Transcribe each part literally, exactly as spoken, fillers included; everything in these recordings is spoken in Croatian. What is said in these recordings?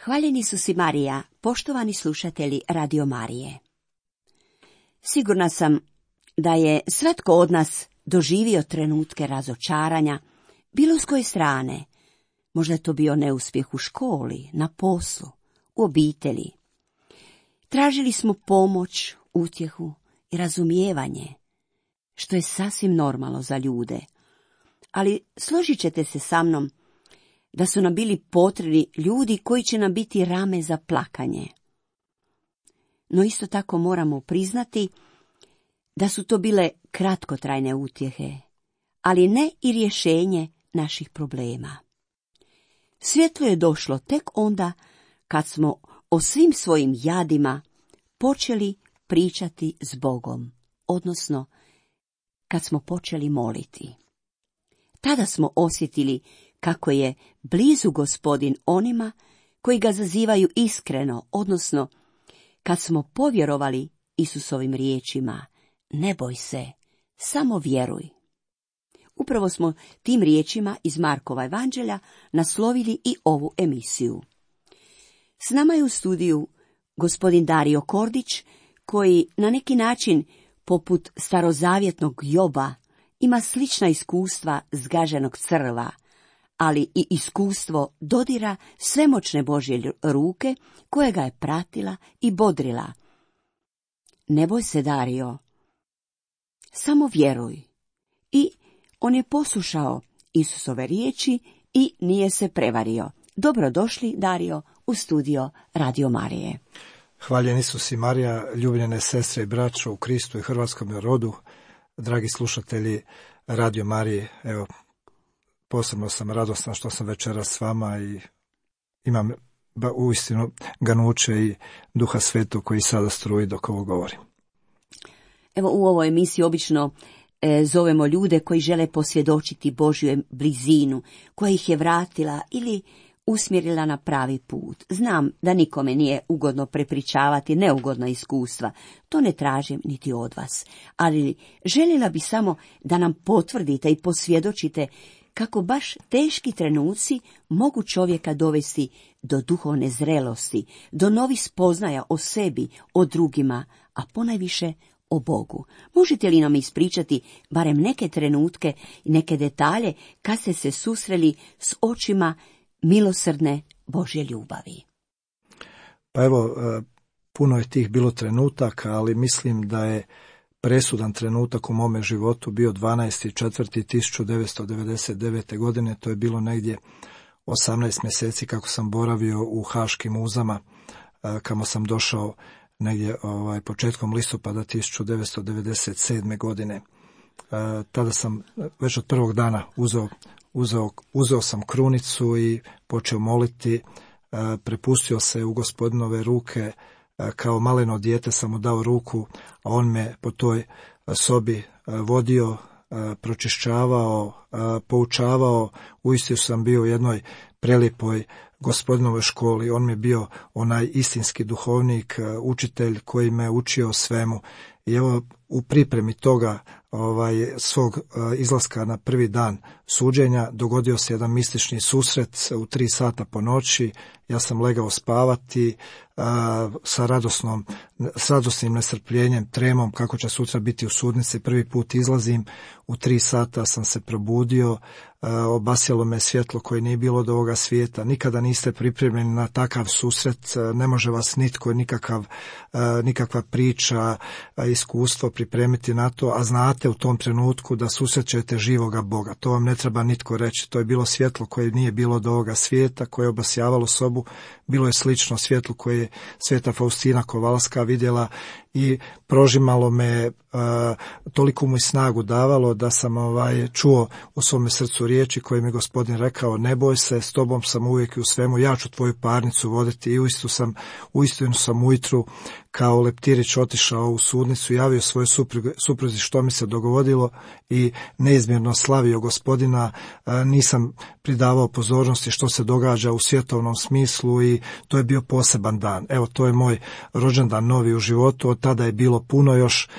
Hvaljeni su si Marija, poštovani slušatelji Radio Marije. Sigurna sam da je svatko od nas doživio trenutke razočaranja, bilo s koje strane. Možda je to bio neuspjeh u školi, na poslu, u obitelji. Tražili smo pomoć, utjehu i razumijevanje, što je sasvim normalno za ljude. Ali složit ćete se sa mnom da su nam bili potrebni ljudi koji će nam biti rame za plakanje. No isto tako moramo priznati da su to bile kratkotrajne utjehe, ali ne i rješenje naših problema. Svjetlo je došlo tek onda kad smo o svim svojim jadima počeli pričati s Bogom, odnosno kad smo počeli moliti. Tada smo osjetili kako je blizu Gospodin onima koji ga zazivaju iskreno, odnosno kad smo povjerovali Isusovim riječima: ne boj se, samo vjeruj. Upravo smo tim riječima iz Markova evanđelja naslovili i ovu emisiju. S nama je u studiju gospodin Dario Kordić, koji na neki način, poput starozavjetnog Joba, ima slična iskustva zgaženog crva, ali i iskustvo dodira svemoćne Božje ruke koja ga je pratila i bodrila. Ne boj se, Dario, samo vjeruj. I on je poslušao Isusove riječi i nije se prevario. Dobrodošli, Dario, u studio Radio Marije. Hvaljen Isus i Marija, ljubljene sestre i braćo u Kristu i hrvatskom rodu, dragi slušatelji Radio Marije. Evo, posebno sam radostan što sam večeras s vama i imam uistinu ganuće i Duha Svetog koji sada struji dok ovo govorim. Evo, u ovoj emisiji obično e, zovemo ljude koji žele posvjedočiti Božju blizinu, koja ih je vratila ili usmjerila na pravi put. Znam da nikome nije ugodno prepričavati neugodna iskustva, to ne tražim niti od vas, ali željela bi samo da nam potvrdite i posvjedočite kako baš teški trenuci mogu čovjeka dovesti do duhovne zrelosti, do novih spoznaja o sebi, o drugima, a ponajviše o Bogu. Možete li nam ispričati barem neke trenutke i neke detalje kad ste se susreli s očima milosrdne Božje ljubavi? Pa evo, puno je tih bilo trenutaka, ali mislim da je presudan trenutak u mome životu bio dvanaesti četvrti tisuću devetsto devedeset devete. godine. To je bilo negdje osamnaest mjeseci kako sam boravio u Haškim uzama, kamo sam došao negdje ovaj, početkom listopada tisuću devetsto devedeset sedme. godine. Tada sam već od prvog dana uzeo Uzeo, uzeo sam krunicu i počeo moliti, prepustio se u Gospodinove ruke, kao maleno dijete sam mu dao ruku, a on me po toj sobi vodio, pročišćavao, poučavao. Uistinu sam bio u jednoj prelijepoj Gospodinovoj školi. On mi je bio onaj istinski duhovnik, učitelj koji me učio svemu. I evo, u pripremi toga ovaj, svog uh, izlaska na prvi dan suđenja dogodio se jedan mistični susret u tri sata po noći. Ja sam legao spavati uh, sa radosnom, s radosnim nestrpljenjem, tremom kako će sutra biti u sudnici. Prvi put izlazim, u tri sata sam se probudio, uh, obasjalo me svjetlo koje nije bilo od ovoga svijeta. Nikada niste pripremljeni na takav susret, uh, ne može vas nitko, nikakav, uh, nikakva priča, uh, iskustvo pripremiti na to, a znate u tom trenutku da susrećete živoga Boga. To vam ne treba nitko reći. To je bilo svjetlo koje nije bilo od ovoga svijeta, koje je obasjavalo sobu. Bilo je slično svjetlu koje je Sveta Faustina Kovalska vidjela i prožimalo me, uh, toliko mu i snagu davalo da sam ovaj, čuo u svome srcu riječi koje mi Gospodin rekao: ne boj se, s tobom sam uvijek i u svemu, ja ću tvoju parnicu voditi. I uistinu sam, uistinu sam ujutru kao leptirić otišao u sudnicu, javio svojoj supruzi što mi se dogodilo i neizmjerno slavio Gospodina. Nisam pridavao pozornosti što se događa u svjetovnom smislu i to je bio poseban dan. Evo, to je moj rođendan novi u životu. Od tada je bilo puno još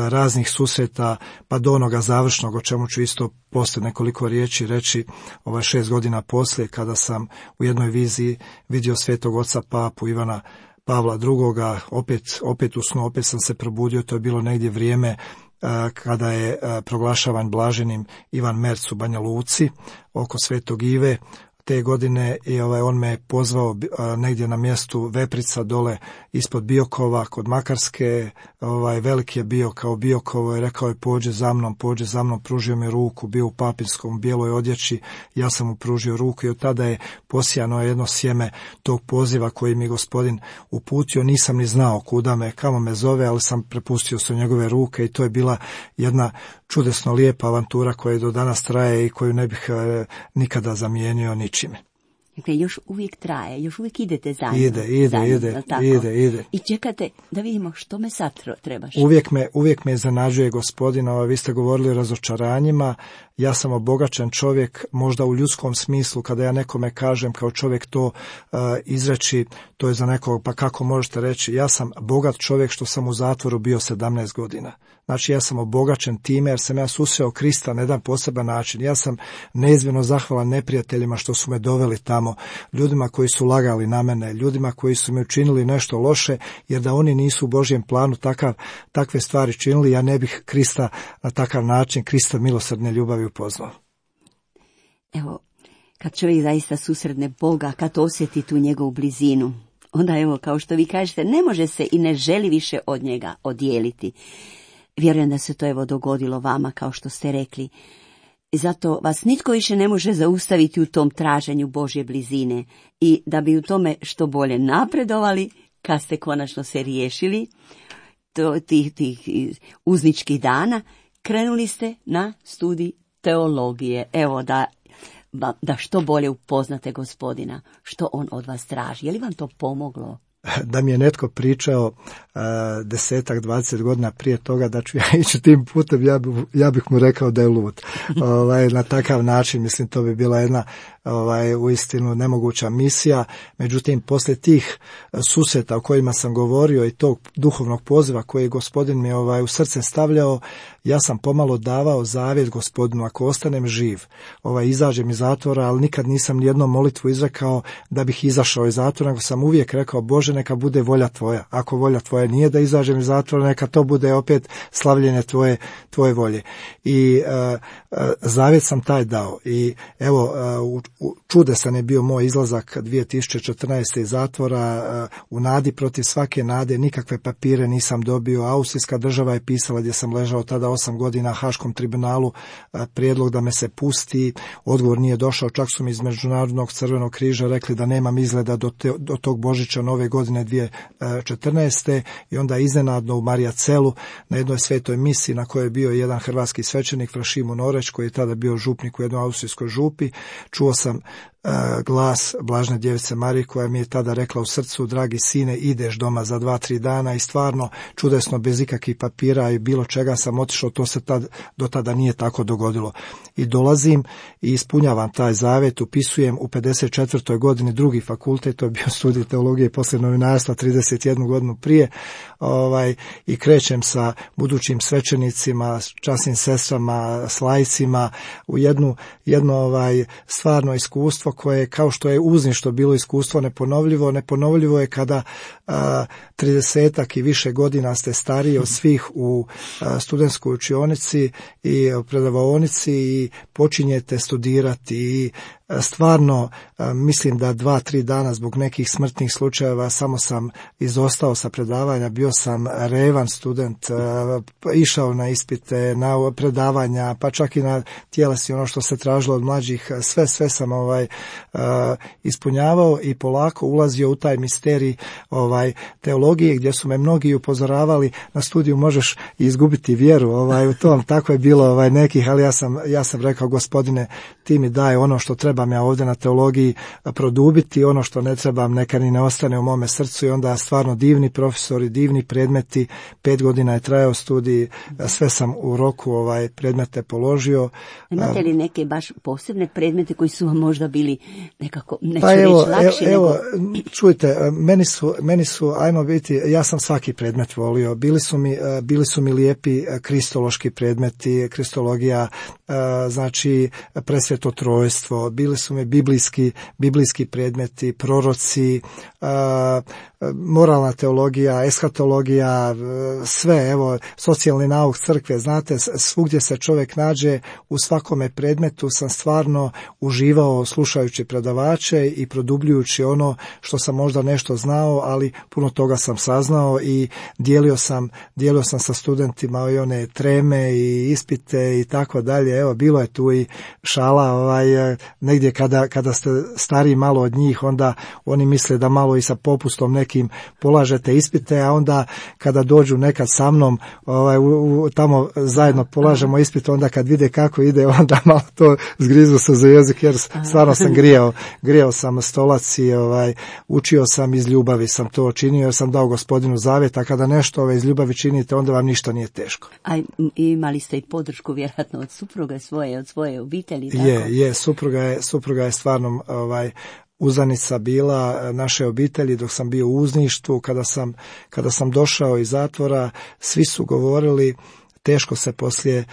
raznih susreta, pa do onoga završnog, o čemu ću isto poslije nekoliko riječi reći, ovaj šest godina poslije, kada sam u jednoj viziji vidio svetog oca papu Ivana Pavla drugoga, opet, opet u snu, opet sam se probudio, to je bilo negdje vrijeme kada je proglašavan blaženim Ivan Merc u Banja Luci oko Svetog Ive. Te godine i ovaj, on me pozvao a, negdje na mjestu Veprica dole ispod Biokova kod Makarske. Ovaj, veliki je bio kao Biokovo i rekao je pođe za mnom, pođe za mnom, pružio mi ruku, bio u papinskom bijeloj odjeći, ja sam mu pružio ruku i od tada je posijano jedno sjeme tog poziva koji mi Gospodin uputio. Nisam ni znao kuda me, kamo me zove, ali sam prepustio su njegove ruke i to je bila jedna čudesno lijepa avantura koja do danas traje i koju ne bih e, nikada zamijenio ničime. Dakle, još uvijek traje, još uvijek idete zajedno. Ide, ide, zajedno, ide, ide, ide. I čekate da vidimo što me sad trebaš. Uvijek me, uvijek me iznenađuje Gospodin, vi ste govorili o razočaranjima, ja sam obogaćen čovjek, možda u ljudskom smislu, kada ja nekome kažem kao čovjek to uh, izreći, to je za nekog, pa kako možete reći, ja sam bogat čovjek što sam u zatvoru bio sedamnaest godina. Znači ja sam obogaćen time jer sam ja susreo Krista na jedan poseban način. Ja sam neizmjerno zahvalan neprijateljima što su me doveli tamo, ljudima koji su lagali na mene, ljudima koji su mi učinili nešto loše, jer da oni nisu u Božjem planu takav, takve stvari činili, ja ne bih Krista na takav način, Krista milosrdne ljubavi upoznao. Evo, kad čovjek zaista susretne Boga, kad osjeti tu njegovu blizinu, onda evo, kao što vi kažete, ne može se i ne želi više od njega odijeliti. Vjerujem da se to evo dogodilo vama, kao što ste rekli. I zato vas nitko više ne može zaustaviti u tom traženju Božje blizine. I da bi u tome što bolje napredovali, kad ste konačno se riješili to, tih, tih uzničkih dana, krenuli ste na studij teologije. Evo da, da što bolje upoznate Gospodina, što on od vas traži. Je li vam to pomoglo? Da mi je netko pričao uh, desetak, dvadeset godina prije toga da ću ja ići tim putem, ja, bi, ja bih mu rekao da je lud. ovaj, na takav način, mislim, to bi bila jedna ovaj, uistinu nemoguća misija. Međutim, poslije tih susreta o kojima sam govorio i tog duhovnog poziva koji je Gospodin mi ovaj, u srce stavljao, ja sam pomalo davao zavjet Gospodinu, ako ostanem živ, ovaj, izađem iz zatvora, ali nikad nisam nijednom molitvu izrekao da bih izašao iz zatvora, nego sam uvijek rekao, Bože, neka bude volja tvoja. Ako volja tvoja nije da izađem iz zatvora, neka to bude opet slavljenje tvoje, tvoje volje. I uh, uh, zavjet sam taj dao. I evo, uh, u, čudesan je bio moj izlazak dvije tisuće četrnaeste iz zatvora, uh, u nadi protiv svake nade, nikakve papire nisam dobio. Austrijska država je pisala, gdje sam ležao tada osam godina, Haškom tribunalu, uh, prijedlog da me se pusti. Odgovor nije došao, čak su mi iz Međunarodnog crvenog križa rekli da nemam izgleda do, te, do tog Božića nove godine dvije tisuće četrnaeste. I onda iznenadno u Marijacelu na jednoj svetoj misiji na kojoj je bio jedan hrvatski svećenik Frašimo Noreć, koji je tada bio župnik u jednoj austrijskoj župi, čuo sam glas Blažne djevice Marije koja mi je tada rekla u srcu, dragi sine, ideš doma za dva, tri dana. I stvarno čudesno, bez ikakvih papira i bilo čega sam otišao, to se tad, do tada nije tako dogodilo. I dolazim i ispunjavam taj zavjet, upisujem u pedeset četvrtoj godini drugi fakultet, to je bio studij teologije i poslije novinarstva trideset jednu godinu prije, ovaj, i krećem sa budućim svećenicima, časnim sestrama, s laicima u jednu, jedno ovaj, stvarno iskustvo koje, kao što je uzništvo bilo iskustvo neponovljivo, neponovljivo je kada tridesetak i više godina ste stariji od svih u a, studentskoj učionici i predavaonici i počinjete studirati i a, stvarno a, mislim da dva, tri dana zbog nekih smrtnih slučajeva samo sam izostao sa predavanja, bio sam revan student, a, išao na ispite, na predavanja, pa čak i na tjelesni, ono što se tražilo od mlađih, sve, sve sam ovaj a, ispunjavao i polako ulazio u taj misterij ovaj teologije, gdje su me mnogi upozoravali na studiju možeš izgubiti vjeru, ovaj u tom, tako je bilo ovaj nekih, ali ja sam ja sam rekao, Gospodine, ti mi daj ono što treba trebam ja ovdje na teologiji produbiti, ono što ne trebam neka ni ne ostane u mome srcu i onda stvarno divni profesori, divni predmeti, pet godina je trajao studij, sve sam u roku ovaj predmete položio. Imate li neke baš posebne predmete koji su vam možda bili nekako, neću pa reći evo, lakši? Evo, nego... čujte, meni su, meni su, ajmo biti, ja sam svaki predmet volio, bili su mi, bili su mi lijepi kristološki predmeti, kristologija, znači presveto trojstvo, bili su mi biblijski, biblijski predmeti, proroci, moralna teologija, eskatologija, sve, evo, socijalni nauk crkve, znate, svugdje se čovjek nađe, u svakome predmetu sam stvarno uživao slušajući predavače i produbljujući ono što sam možda nešto znao, ali puno toga sam saznao i dijelio sam, dijelio sam sa studentima i one treme i ispite i tako dalje. Evo, bilo je tu i šala, ovaj, negdje kada, kada ste stariji malo od njih, onda oni misle da malo i sa popustom nekim polažete ispite, a onda kada dođu nekad sa mnom, ovaj, u, u, tamo zajedno polažemo ispit, onda kad vide kako ide, onda malo to zgrizu se za jezik, jer stvarno sam grijao, grijao sam stolac i ovaj, učio sam iz ljubavi, sam to činio, jer sam dao Gospodinu zavjet, a kada nešto ovaj, iz ljubavi činite, onda vam ništa nije teško. A imali ste i podršku vjerojatno od supruga svoje, od svoje obitelji, tako? Je, je, supruga je, supruga je stvarno ovaj, uzanica bila naše obitelji dok sam bio u uzništvu. Kada sam, kada sam došao iz zatvora, svi su govorili teško se poslije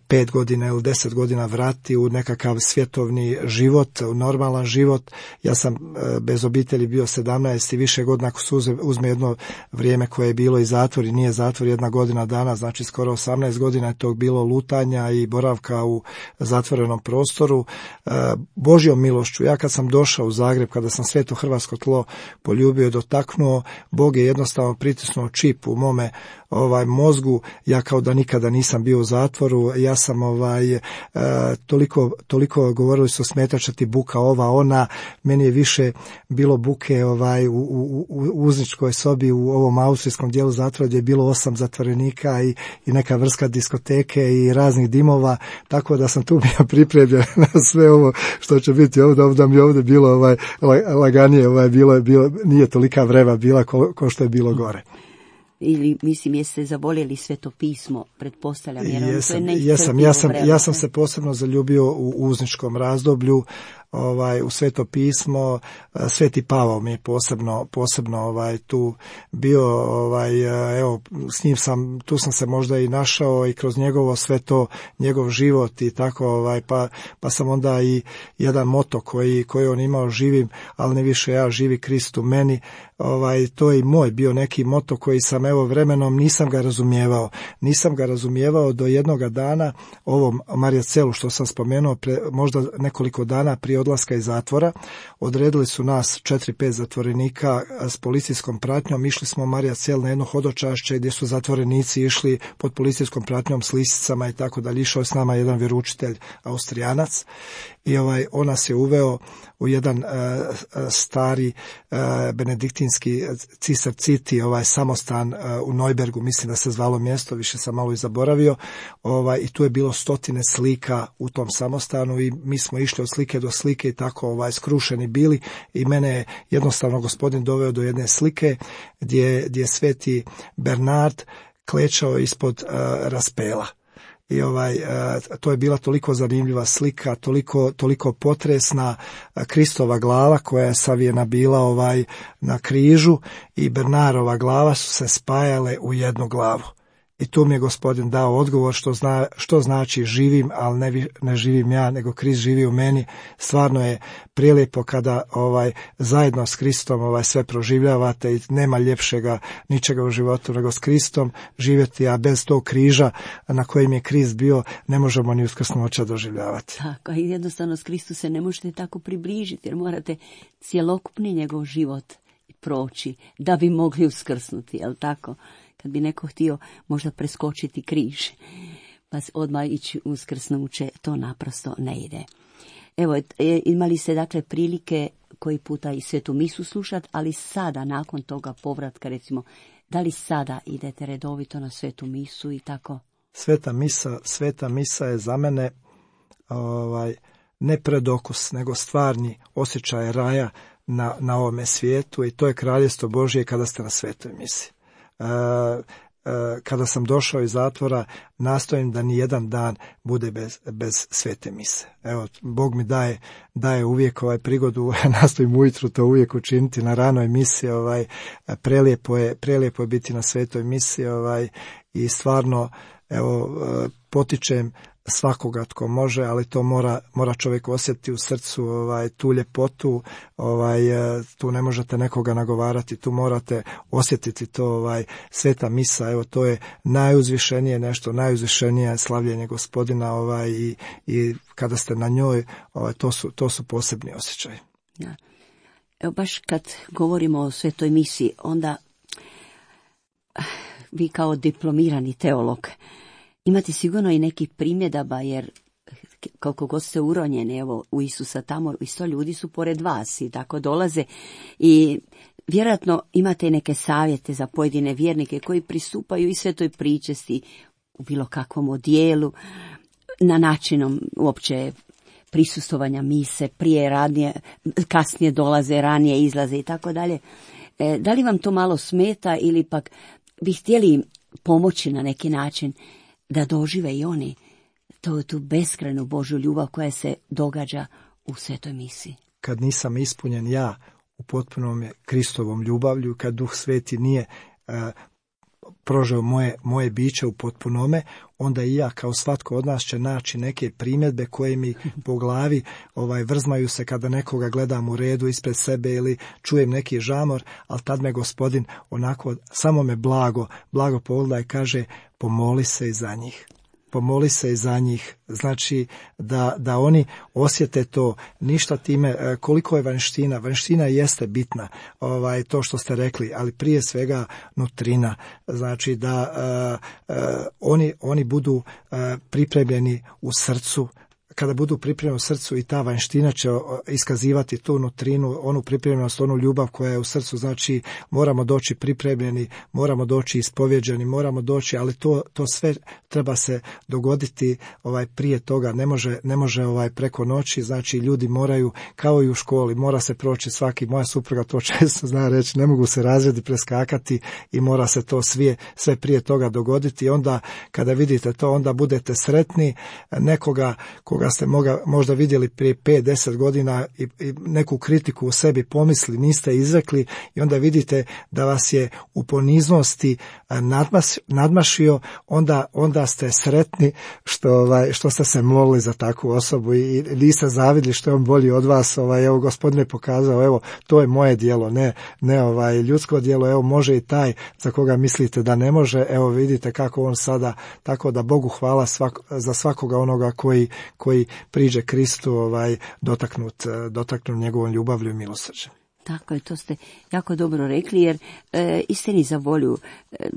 pet godina ili deset godina vrati u nekakav svjetovni život, u normalan život. Ja sam bez obitelji bio sedamnaest i više godina, ako se uzme jedno vrijeme koje je bilo i zatvor i nije zatvor jedna godina dana, znači skoro osamnaest godina je tog bilo lutanja i boravka u zatvorenom prostoru. Božjom milošću, ja kad sam došao u Zagreb, kada sam sveto hrvatsko tlo poljubio i dotaknuo, Bog je jednostavno pritisnuo čip u mome ovaj mozgu, ja kao da nikada nisam bio u zatvoru, ja sam ovaj e, toliko, toliko govorili su smetačati buka ova ona, meni je više bilo buke ovaj u, u, u uzničkoj sobi u ovom austrijskom dijelu zatvora gdje je bilo osam zatvorenika i, i neka vrsta diskoteke i raznih dimova, tako da sam tu bio pripremljen na sve ovo što će biti ovdje, ovdje mi ovdje bilo ovaj laganije, ovaj bilo je bilo nije tolika vreva bila ko, ko što je bilo gore. Ili, mislim, jeste zavoljeli Sveto pismo, pretpostavljam, jer ono to je neiscrpljivo jesam, ja sam, vreme. ja sam se posebno zaljubio u uzničkom razdoblju, ovaj, u Sveto pismo. Sveti Pavao mi je posebno, posebno ovaj, tu bio, ovaj, evo, s njim sam, tu sam se možda i našao i kroz njegovo sve to, njegov život i tako, ovaj, pa, pa sam onda i jedan moto koji, koji on imao, živim, ali ne više ja, živi Krist u meni, ovaj, to je i moj bio neki moto koji sam, evo, vremenom nisam ga razumijevao, nisam ga razumijevao do jednoga dana, ovom Marjacelu što sam spomenuo, pre, možda nekoliko dana prije odlaska iz zatvora, odredili su nas četiri pet zatvorenika s policijskom pratnjom, išli smo Marjacel na jedno hodočašće gdje su zatvorenici išli pod policijskom pratnjom s lisicama i tako dalje, išao je s nama jedan vjeroučitelj Austrijanac i ovaj, on nas je uveo u jedan uh, stari uh, benediktinski Cisar Citi, ovaj samostan uh, u Neubergu, mislim da se zvalo mjesto, više sam malo i zaboravio, ovaj, i tu je bilo stotine slika u tom samostanu i mi smo išli od slike do slike i tako ovaj, skrušeni bili i mene je jednostavno Gospodin doveo do jedne slike gdje, gdje sveti Bernard klečao ispod uh, raspela. I ovaj, to je bila toliko zanimljiva slika, toliko, toliko potresna, Kristova glava koja je savijena bila ovaj na križu i Bernarova glava su se spajale u jednu glavu. I tu mi je Gospodin dao odgovor što, zna, što znači živim, ali ne, ne živim ja, nego Krist živi u meni. Stvarno je prilijepo kada ovaj zajedno s Kristom ovaj sve proživljavate i nema ljepšega ničega u životu nego s Kristom živjeti, a bez tog križa na kojem je Krist bio ne možemo ni uskrsnuća doživljavati. Tako, i jednostavno s Kristu se ne možete tako približiti jer morate cjelokupni njegov život proći da bi mogli uskrsnuti, jel tako? Kad bi neko htio možda preskočiti križ, pa odmah ići uskrsnuće, to naprosto ne ide. Evo, imali ste dakle prilike koji puta i svetu misu slušati, ali sada, nakon toga povratka, recimo, da li sada idete redovito na svetu misu i tako? Sveta misa, sveta misa je za mene ovaj, ne predokus, nego stvarni osjećaj raja na, na ovome svijetu, i to je kraljestvo Božje kada ste na svetoj misi. E, kada sam došao iz zatvora, nastojim da ni jedan dan bude bez, bez svete mise. Evo, Bog mi daje, daje uvijek ovaj prigodu, nastojim ujutru to uvijek učiniti na ranoj misi, ovaj, prelijepo je, prelijepo je biti na svetoj misi, ovaj, i stvarno, evo, potičem svakoga tko može, ali to mora, mora čovjek osjetiti u srcu, ovaj, tu ljepotu, ovaj, tu ne možete nekoga nagovarati, tu morate osjetiti to, ovaj, sveta misa, evo, to je najuzvišenije nešto, najuzvišenije slavljenje Gospodina, ovaj, i, i kada ste na njoj, ovaj, to su, to su posebni osjećaji. Ja. Evo, baš kad govorimo o svetoj misi, onda vi kao diplomirani teolog imate sigurno i nekih primjedaba, jer koliko god ste uronjeni, evo, u Isusa tamo, isto ljudi su pored vas i tako dolaze, i vjerojatno imate i neke savjete za pojedine vjernike koji pristupaju i svetoj pričesti u bilo kakvom odijelu, na načinom uopće prisustovanja mise, prije, radnije, kasnije dolaze, ranije izlaze i tako dalje. E, da li vam to malo smeta, ili pak bi htjeli pomoći na neki način da dožive i oni to, tu beskrajnu Božju ljubav koja se događa u svetoj misi? Kad nisam ispunjen ja u potpunom Kristovom ljubavlju, kad Duh Sveti nije uh, prožeo moje, moje biće u potpunome, onda i ja, kao svatko od nas, će naći neke primjedbe koje mi po glavi ovaj, vrzmaju se kada nekoga gledam u redu ispred sebe ili čujem neki žamor, ali tad me Gospodin onako samo me blago, blago pogleda i kaže: pomoli se i za njih. Pomoli se i za njih, znači da, da oni osjete to, ništa time, koliko je vanština, vanština jeste bitna, ovaj, to što ste rekli, ali prije svega nutrina, znači da uh, uh, oni, oni budu uh, pripremljeni u srcu. Kada budu pripremljeni u srcu, i ta vanština će iskazivati tu nutrinu, onu pripremljenost, onu ljubav koja je u srcu. Znači moramo doći pripremljeni, moramo doći ispovjeđeni, moramo doći, ali to, to sve treba se dogoditi ovaj, prije toga, ne može, ne može ovaj, preko noći. Znači ljudi moraju, kao i u školi, mora se proći svaki, moja supruga to često zna reći, ne mogu se razredi preskakati i mora se to sve, sve prije toga dogoditi. I onda kada vidite to, onda budete sretni. Nekoga koga ste moga, možda vidjeli prije pet deset godina i, i neku kritiku u sebi pomisli, niste izrekli, i onda vidite da vas je u poniznosti nadmas, nadmašio, onda, onda ste sretni što, ovaj, što ste se molili za takvu osobu i, i niste zavidli što je on bolji od vas. Ovaj, evo, Gospodin je pokazao, evo, to je moje djelo, ne, ne ovaj, ljudsko djelo, evo, može i taj za koga mislite da ne može, evo vidite kako on sada, tako da Bogu hvala svak, za svakoga onoga koji, koji priđe Kristu, ovaj, dotaknut, dotaknut njegovom ljubavlju i milosrđem. Tako je, to ste jako dobro rekli, jer e, istini za volju, e,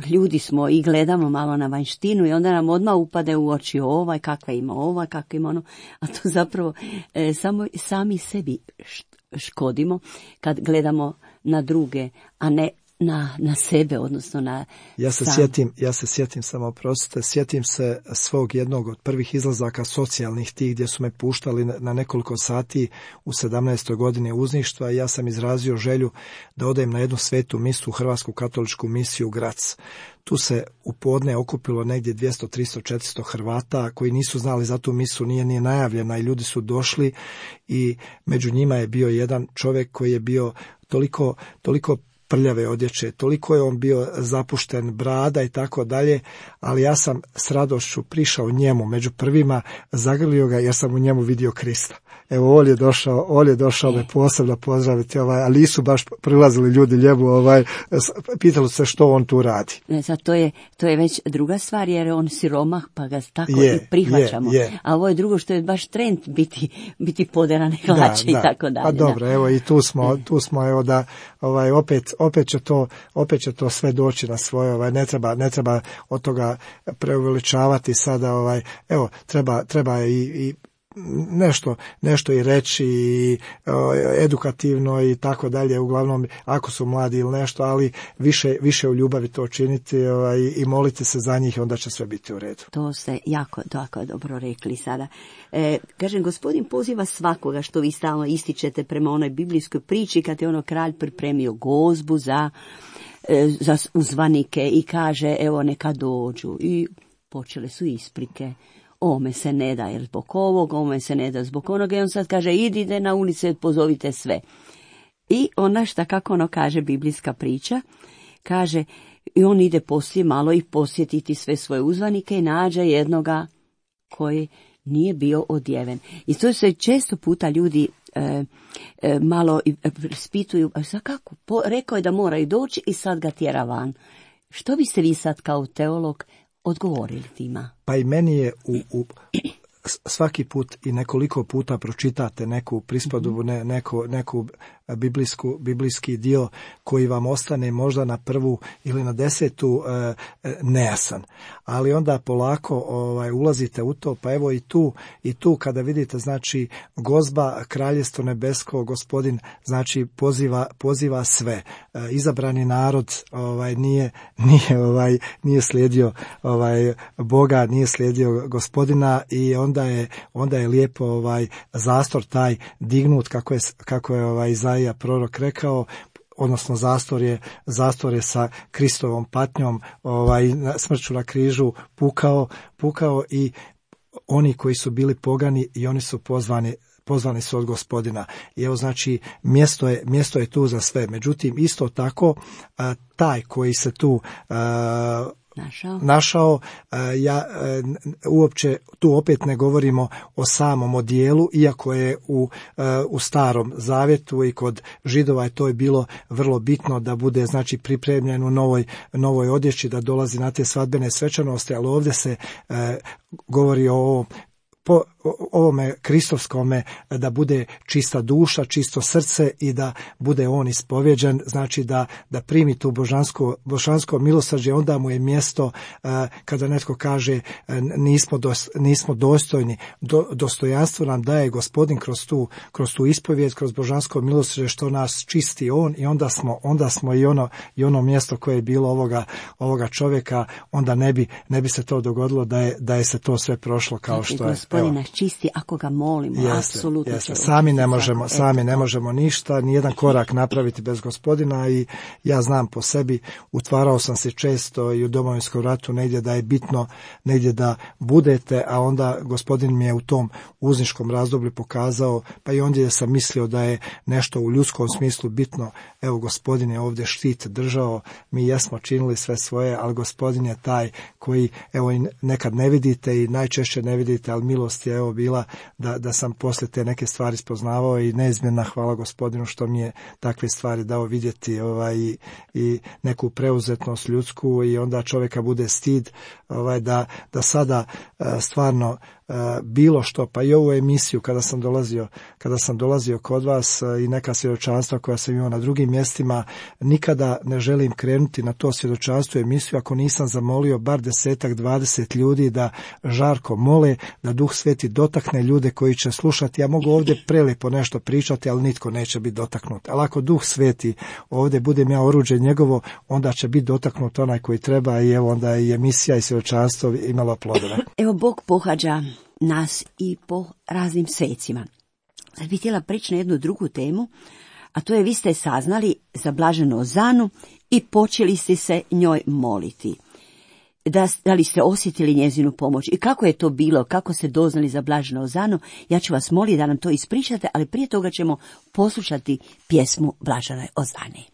ljudi smo i gledamo malo na vanjštinu i onda nam odmah upade u oči ovaj, kakva ima ova, kakva ima ono, a to zapravo e, samo sami sebi škodimo kad gledamo na druge, a ne na, na sebe, odnosno na ja se sam. sjetim, ja se sjetim samo oprostite, sjetim se svog jednog od prvih izlazaka socijalnih tih gdje su me puštali na nekoliko sati u sedamnaestoj godini uzništva, i ja sam izrazio želju da odem na jednu svetu misu, Hrvatsku katoličku misiju u Grac. Tu se u podne okupilo negdje dvjesto, tristo, četiristo Hrvata koji nisu znali za tu misu, nije nije najavljena, i ljudi su došli, i među njima je bio jedan čovjek koji je bio toliko, toliko prljave odjeće, toliko je on bio zapušten, brada i tako dalje, ali ja sam s radošću prišao njemu, među prvima, zagrlio ga jer sam u njemu vidio Krista. Evo, on je došao, on je došao me posebno pozdraviti, ovaj, ali nisu baš prilazili ljudi njemu, ovaj, pitali se što on tu radi. Ne, sad to je, to je već druga stvar, jer je on siromah, pa ga tako je, i prihvaćamo. Je, je. A ovo je drugo što je baš trend biti, biti poderane hlače i tako dalje. Pa dobro, da. Evo i tu smo, tu smo, evo da, ovaj, opet, opet će to, opet će to sve doći na svoje, ovaj, ne treba, ne treba od toga preuveličavati sada, ovaj, evo, treba, treba i, i nešto, nešto i reći i edukativno i tako dalje, uglavnom ako su mladi ili nešto, ali više, više u ljubavi to činiti ovaj, i moliti se za njih, onda će sve biti u redu. To ste jako, jako dobro rekli sada. E, kažem, gospodin poziva svakoga, što vi stalno ističete prema onoj biblijskoj priči kad je ono kralj pripremio gozbu za, e, za uzvanike i kaže evo neka dođu i počele su isprike. Ome se ne da jer zbog ovog, ome se ne da zbog onoga i on sad kaže idite na ulice, pozovite sve. I onda šta kako ono kaže biblijska priča, kaže i on ide poslije malo i posjetiti sve svoje uzvanike i nađe jednoga koji nije bio odjeven. I to se često puta ljudi e, e, malo spituju, a sad kako, po, rekao je da moraju doći i sad ga tjera van. Što biste vi sad kao teolog odgovorili tima? Pa i meni je u, u svaki put i nekoliko puta pročitate neku prispodobu, ne, neku, neku biblijsku, biblijski dio koji vam ostane možda na prvu ili na desetu e, nejasan. Ali onda polako ovaj, ulazite u to, pa evo i tu, i tu kada vidite, znači, gozba, kraljestvo nebesko, gospodin, znači, poziva, poziva sve. E, izabrani narod ovaj, nije, nije, ovaj, nije slijedio ovaj, Boga, nije slijedio gospodina i onda je, onda je lijepo ovaj, zastor taj dignut, kako je, kako je ovaj, Izaija prorok rekao, odnosno zastor je, zastor je sa Kristovom patnjom, ovaj, smrću na križu pukao, pukao i oni koji su bili pogani i oni su pozvani, pozvani su od gospodina. I evo, znači, mjesto je, mjesto je tu za sve. Međutim, isto tako, a, taj koji se tu a, Našao. našao, ja uopće tu opet ne govorimo o samom odijelu, iako je u, u Starom Zavjetu i kod Židova je to je bilo vrlo bitno da bude, znači, pripremljen u novoj, novoj odjeći, da dolazi na te svadbene svečanosti, ali ovdje se e, govori o ovom po ovome kristovskome, da bude čista duša, čisto srce i da bude on ispovjeđen, znači da, da primi tu božansko, božansko milosrđe, onda mu je mjesto uh, kada netko kaže uh, nismo, dos, nismo dostojni, do, dostojanstvo nam daje gospodin kroz tu, kroz tu ispovjed, kroz božansko milosrđe što nas čisti on i onda smo, onda smo i ono, i ono mjesto koje je bilo ovoga, ovoga čovjeka, onda ne bi, ne bi se to dogodilo da je, da je se to sve prošlo kao znači, što je. Gospodin nas čisti ako ga molimo, jeste, apsolutno. Jeste. Sami ne možemo, sami ne možemo ništa, ni jedan korak napraviti bez gospodina i ja znam po sebi, utvarao sam se često i u Domovinskom ratu negdje da je bitno, negdje da budete, a onda gospodin mi je u tom uzničkom razdoblju pokazao, pa i ondje sam mislio da je nešto u ljudskom smislu bitno. Evo, gospodin je ovdje štit držao, mi jesmo činili sve svoje, ali gospodin je taj koji, evo, nekad ne vidite i najčešće ne vidite, ali milost je evo bila da, da sam poslije te neke stvari spoznavao i neizmjerna hvala gospodinu što mi je takve stvari dao vidjeti ovaj, i, i neku preuzetnost ljudsku i onda čovjeka bude stid ovaj, da, da sada stvarno bilo što, pa i ovu emisiju kada sam dolazio, kada sam dolazio kod vas i neka svjedočanstva koja sam imao na drugim mjestima, nikada ne želim krenuti na to svjedočanstvo emisiju ako nisam zamolio bar desetak, dvadeset ljudi da žarko mole, da Duh Sveti dotakne ljude koji će slušati. Ja mogu ovdje prelijepo nešto pričati, ali nitko neće biti dotaknut. Ali ako Duh Sveti ovdje budem ja oruđe njegovo, onda će biti dotaknut onaj koji treba i evo onda i emisija i svjedočanstvo imalo plodove. Evo, Bog pohađa nas i po raznim svecima. Sad bih htjela prići na jednu drugu temu, a to je vi ste saznali za blaženu Ozanu i počeli ste se njoj moliti. Da, da li ste osjetili njezinu pomoć i kako je to bilo, kako ste doznali za blaženu Ozanu, ja ću vas moliti da nam to ispričate, ali prije toga ćemo poslušati pjesmu Blaženoj Ozani.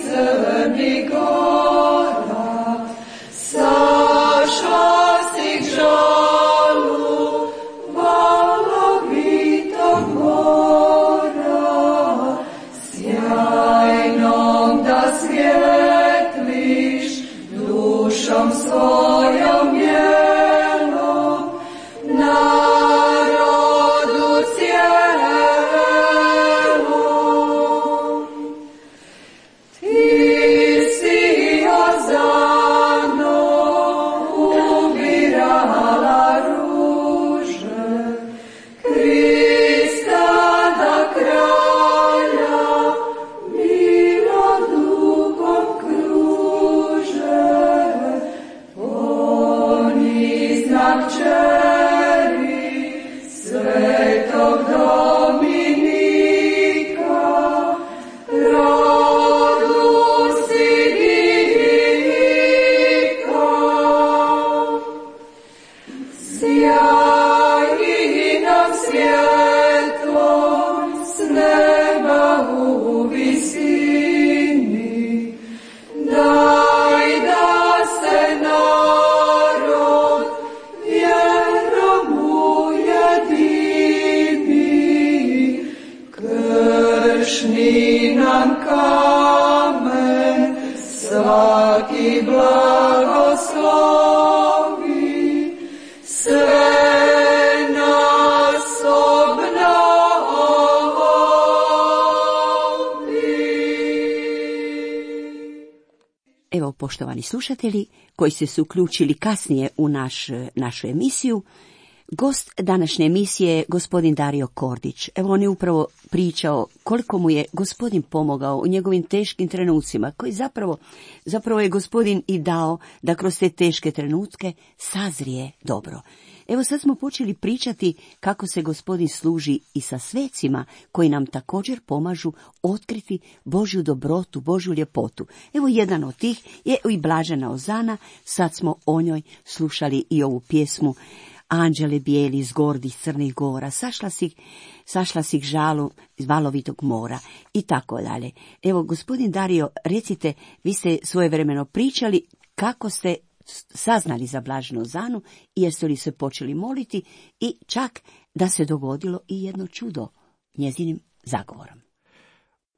Crni gora, sašla si k žalu, valovitog mora, sjajnom da svjetliš, dušom svojom bijelom, narod poštovani slušatelji, koji ste se uključili kasnije u naš, našu emisiju, gost današnje emisije je gospodin Dario Kordić. Evo, on je upravo pričao koliko mu je gospodin pomogao u njegovim teškim trenucima, koji zapravo, zapravo je gospodin i dao da kroz te teške trenutke sazrije dobro. Evo, sad smo počeli pričati kako se gospodin služi i sa svecima koji nam također pomažu otkriti Božju dobrotu, Božju ljepotu. Evo, jedan od tih je i Blažena Ozana, sad smo o njoj slušali i ovu pjesmu Anđele bijeli iz gordih crnih gora, sašla si, sašla si žalu iz valovitog mora i tako dalje. Evo, gospodin Dario, recite, vi ste svojevremeno pričali kako ste saznali za Blaženu Ozanu i jeste li se počeli moliti i čak da se dogodilo i jedno čudo njezinim zagovorom.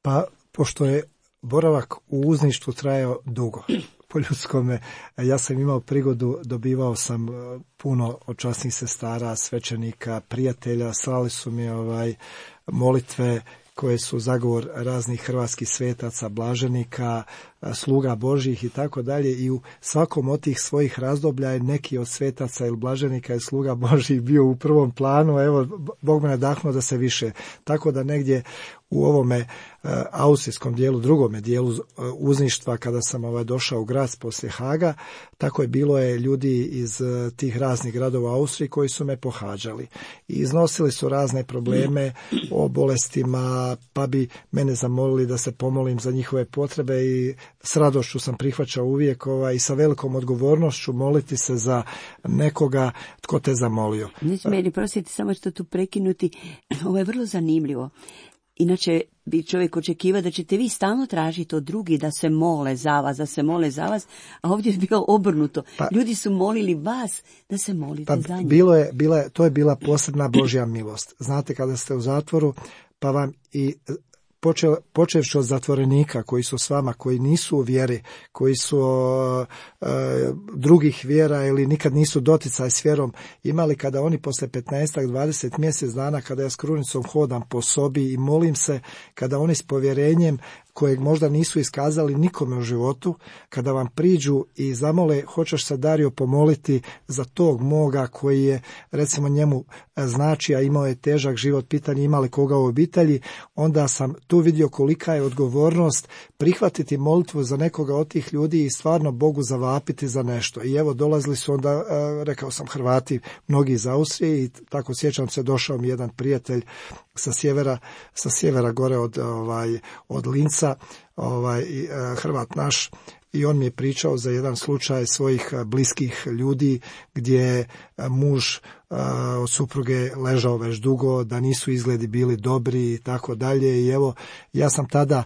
Pa, pošto je boravak u uzništvu trajao dugo, po ljudskome, ja sam imao prigodu, dobivao sam puno od časnih sestara, svećenika, prijatelja, slali su mi ovaj molitve koje su zagovor raznih hrvatskih svetaca, blaženika, sluga Božjih i tako dalje, i u svakom od tih svojih razdoblja je neki od svetaca ili blaženika i sluga Božjih bio u prvom planu. Evo, Bog me nadahnuo da se više, tako da negdje u ovome uh, austrijskom dijelu, drugome dijelu uh, uzništva, kada sam ovaj došao u Graz poslije Haga, tako je bilo je ljudi iz uh, tih raznih gradova Austrije koji su me pohađali i iznosili su razne probleme o bolestima, pa bi mene zamolili da se pomolim za njihove potrebe i s radošću sam prihvaćao uvijek ovaj, i sa velikom odgovornošću moliti se za nekoga tko te zamolio. Neću meni prositi, samo što tu prekinuti, ovo je vrlo zanimljivo. Inače bi čovjek očekivao da ćete vi stalno tražiti od drugih da se mole za vas, da se mole za vas, a ovdje je bilo obrnuto. Pa, ljudi su molili vas da se molite pa, za njih. Bilo je, bila je, to je bila posebna Božja milost. Znate, kada ste u zatvoru, pa vam i Počeo, počevši od zatvorenika koji su s vama, koji nisu u vjeri, koji su e, drugih vjera ili nikad nisu doticaj s vjerom imali, kada oni posle petnaest dvadeset mjesec dana, kada ja s krunicom hodam po sobi i molim se, kada oni s povjerenjem kojeg možda nisu iskazali nikome u životu, kada vam priđu i zamole, hoćeš se, Dario, pomoliti za tog moga koji je, recimo, njemu znači, a imao je težak život, pitanje imali koga u obitelji, onda sam tu vidio kolika je odgovornost prihvatiti molitvu za nekoga od tih ljudi i stvarno Bogu zavapiti za nešto. I evo, dolazili su onda, rekao sam, Hrvati, mnogi iz Austrije, i tako sjećam se, došao mi jedan prijatelj sa sjevera, sa sjevera gore od, ovaj, od Linca, ovaj, Hrvat naš, i on mi je pričao za jedan slučaj svojih bliskih ljudi gdje je muž od supruge ležao već dugo, da nisu izgledi bili dobri i tako dalje. I evo, ja sam tada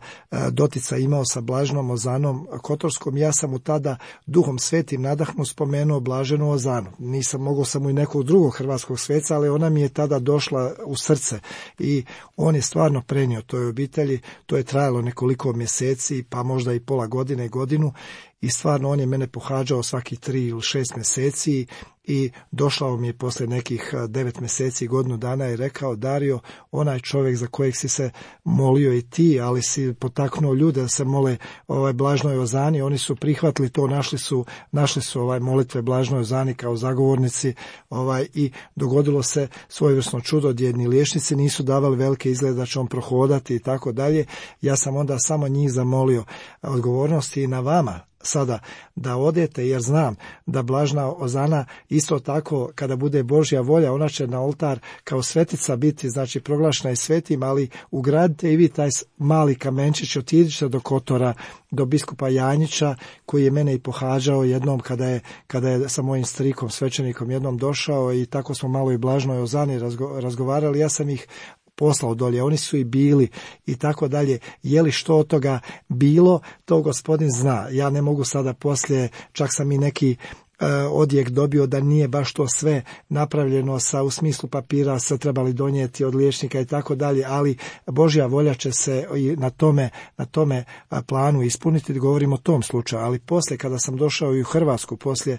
dotica imao sa Blaženom Ozanom Kotorskom, ja sam mu tada Duhom Svetim nadahnu spomenuo Blaženu Ozanu. Nisam mogao sam mu i nekog drugog hrvatskog sveca, ali ona mi je tada došla u srce i on je stvarno prenio toj obitelji. To je trajalo nekoliko mjeseci, pa možda i pola godine, godinu, i stvarno on je mene pohađao svakih tri ili šest mjeseci i došao mi je poslije nekih devet mjeseci, godinu dana i rekao: Dario, onaj čovjek za kojeg si se molio i ti, ali si potaknuo ljude da se mole ovaj Blažnoj Ozani, oni su prihvatili to, našli su, našli su ovaj molitve Blažnoj Ozani kao zagovornici, ovaj, i dogodilo se svojevrsno čudo gdje jedni liječnici nisu davali velike izglede da će on prohodati i tako dalje. Ja sam onda samo njih zamolio. Odgovornost je i na vama sada da odete, jer znam da Blažna Ozana isto tako, kada bude Božja volja, ona će na oltar kao svetica biti, znači proglašena je svetim, ali ugradite i vi taj mali kamenčić, otiđite do Kotora, do biskupa Janjića, koji je mene i pohađao jednom kada je, kada je sa mojim strikom, svećenikom, jednom došao, i tako smo malo i Blažnoj Ozani razgo, razgovarali. Ja sam ih poslao dolje, oni su i bili i tako dalje. Je li što od toga bilo, to gospodin zna. Ja ne mogu sada poslije, čak sam i neki uh, odjek dobio da nije baš to sve napravljeno sa, u smislu papira, se trebali donijeti od liječnika i tako dalje, ali Božja volja će se i na tome, na tome planu ispuniti, govorimo o tom slučaju. Ali poslije, kada sam došao i u Hrvatsku, poslije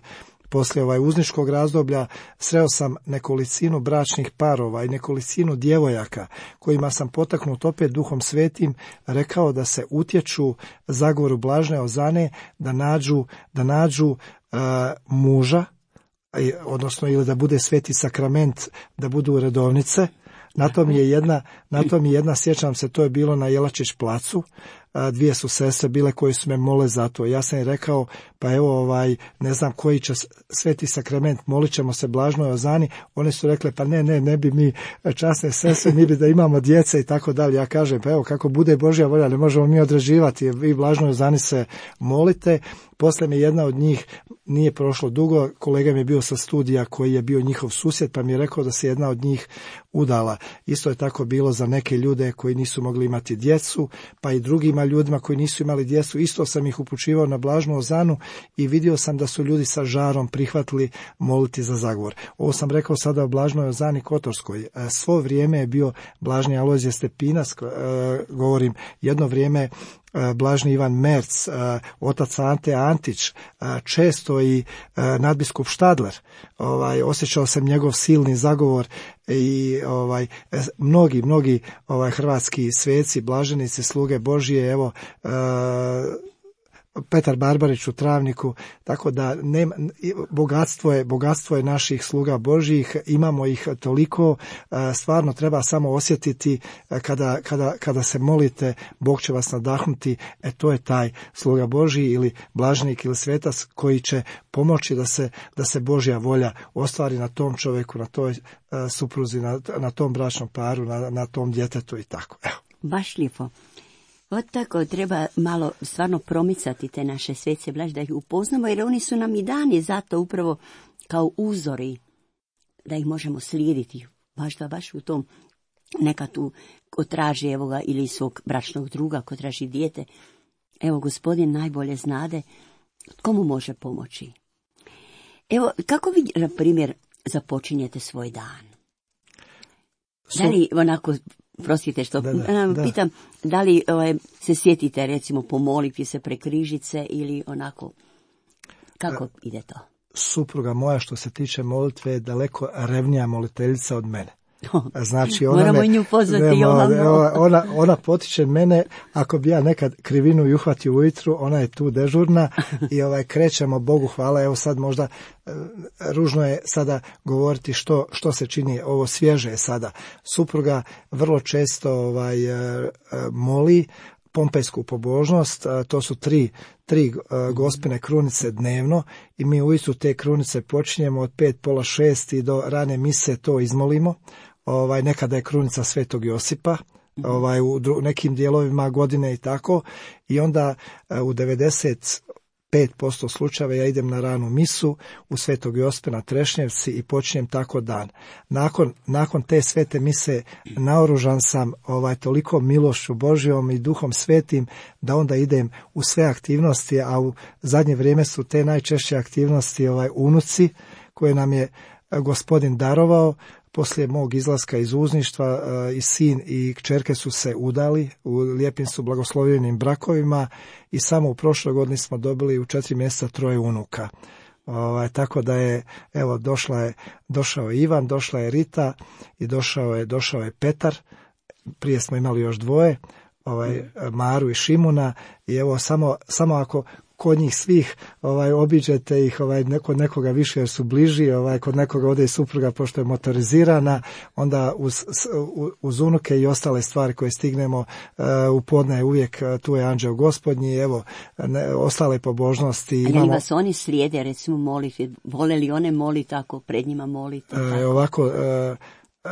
poslije ovaj uzničkog razdoblja sreo sam nekolicinu bračnih parova i nekolicinu djevojaka kojima sam potaknut opet Duhom Svetim rekao da se utječu zagovoru Blažene Ozane, da nađu, da nađu uh, muža, odnosno ili da bude sveti sakrament, da budu redovnice. Na to mi je jedna, na to mi je jedna, sjećam se, to je bilo na Jelačić placu. Dvije su sestre bile koje su me mole za to. Ja sam im rekao, pa evo, ovaj, ne znam koji će sveti sakrament, molit ćemo se Blažnoj Ozani. One su rekle, pa ne, ne, ne bi mi časne sestre, mi bi da imamo djece i tako dalje. Ja kažem, pa evo, kako bude Božja volja, ne možemo mi određivati, vi Blažnoj Ozani se molite. Poslije mi jedna od njih, nije prošlo dugo, kolega mi je bio sa studija koji je bio njihov susjed, pa mi je rekao da se jedna od njih udala. Isto je tako bilo za neke ljude koji nisu mogli imati djecu, pa i drugima ljudima koji nisu imali djecu. Isto sam ih upućivao na Blažnu Ozanu i vidio sam da su ljudi sa žarom prihvatili moliti za zagovor. Ovo sam rekao sada o Blažnoj Ozani Kotorskoj. Svo vrijeme je bio Blažni Alojzije Stepinac, govorim jedno vrijeme Blažni Ivan Merc, otac Ante Antić, često i nadbiskup Štadler. Ovaj, osjećao sam njegov silni zagovor i ovaj, mnogi, mnogi ovaj, hrvatski sveci, blaženici, sluge Božije, evo, Petar Barbarić u Travniku, tako da nema, bogatstvo je, bogatstvo je naših sluga Božjih, imamo ih toliko, stvarno treba samo osjetiti kada, kada, kada se molite, Bog će vas nadahnuti, e to je taj sluga Božji ili blaženik ili svetac koji će pomoći da se, da se Božja volja ostvari na tom čovjeku, na toj supruzi, na, na tom bračnom paru, na, na tom djetetu i tako. Evo. Baš lijepo. Od tako treba malo stvarno promicati te naše svece Blaž, da ih upoznamo, jer oni su nam i dani zato upravo kao uzori, da ih možemo slijediti. Baš da baš u tom, neka tu ko traži evo ga, ili svog bračnog druga, ko traži dijete. Evo, Gospodin najbolje znade komu može pomoći. Evo, kako vi, na primjer, započinjete svoj dan? Da li onako... Prostite što da, da, da. pitam, da li ovaj, se sjetite recimo pomoliti se pre križice ili onako, kako ide to? Supruga moja što se tiče molitve je daleko revnija moliteljica od mene. Znači ona Moramo me, nju pozvati ne, i ona, ona, ona potiče mene, ako bi ja nekad krivinu i uhvatio ujutru, ona je tu dežurna i ovaj krećemo, Bogu hvala, evo sad možda ružno je sada govoriti što, što se čini, ovo svježe je sada. Supruga vrlo često ovaj, moli pompejsku pobožnost, to su tri, tri gospine krunice dnevno i mi ujutru te krunice počinjemo od pet, pola šest i do rane mise to izmolimo. Ovaj, nekada je krunica Svetog Josipa, ovaj, u dru, nekim dijelovima godine i tako, i onda u devedeset pet posto slučajeva ja idem na ranu misu u Svetog Josipa na Trešnjevci i počinjem tako dan. Nakon, nakon te svete mise naoružan sam ovaj, toliko milošću Božjom i Duhom Svetim da onda idem u sve aktivnosti, a u zadnje vrijeme su te najčešće aktivnosti ovaj, unuci koje nam je Gospodin darovao. Poslije mog izlaska iz uzništva i sin i kćerke su se udali, u lijepim su blagoslovljenim brakovima i samo u prošloj godini smo dobili u četiri mjeseca troje unuka. Ovaj, tako da je, evo, došla je, došao je Ivan, došla je Rita i došao je, došao je Petar. Prije smo imali još dvoje, ovaj, Maru i Šimuna i evo samo, samo ako kod njih svih ovaj obiđete ih ovaj kod nekoga više jer su bliži, ovaj kod nekoga ode i supruga pošto je motorizirana, onda uz, uz unuke i ostale stvari koje stignemo uh, u podne uvijek uh, tu je Anđeo Gospodnji, evo ne, ostale pobožnosti. Imamo... Ali vas oni slijede recimo moliti, vole li one moliti tako, pred njima moliti? Uh, ovako, uh, uh,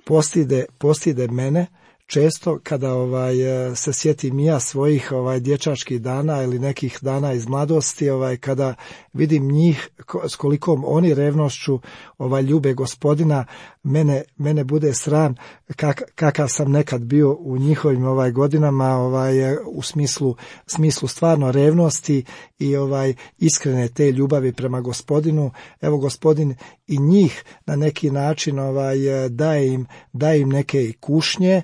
postide, postide mene često kada ovaj se sjetim ja svojih ovaj dječačkih dana ili nekih dana iz mladosti, ovaj kada vidim njih s kolikom oni revnošću ovaj ljube Gospodina, mene mene bude sram kak, kakav sam nekad bio u njihovim ovaj godinama, ovaj u smislu smislu stvarno revnosti i ovaj iskrene te ljubavi prema Gospodinu. Evo, Gospodin i njih na neki način ovaj, daje, im, daje im neke kušnje,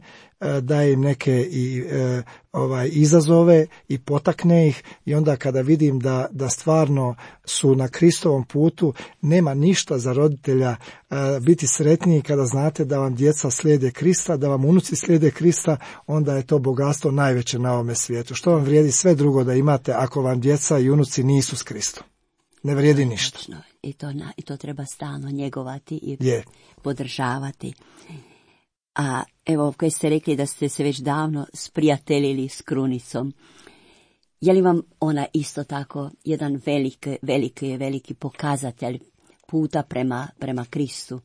daje im neke i e, ovaj izazove i potakne ih, i onda kada vidim da, da stvarno su na Kristovom putu, nema ništa za roditelja e, biti sretniji kada znate da vam djeca slijede Krista, da vam unuci slijede Krista, onda je to bogatstvo najveće na ovome svijetu. Što vam vrijedi sve drugo da imate ako vam djeca i unuci nisu s Kristom? Ne vrijedi ništa. I to, na, i to treba stalno njegovati i je. podržavati. A evo, koji ste rekli da ste se već davno sprijateljili s Krunicom, je li vam ona isto tako jedan veliki, veliki, veliki pokazatelj puta prema, prema Kristu,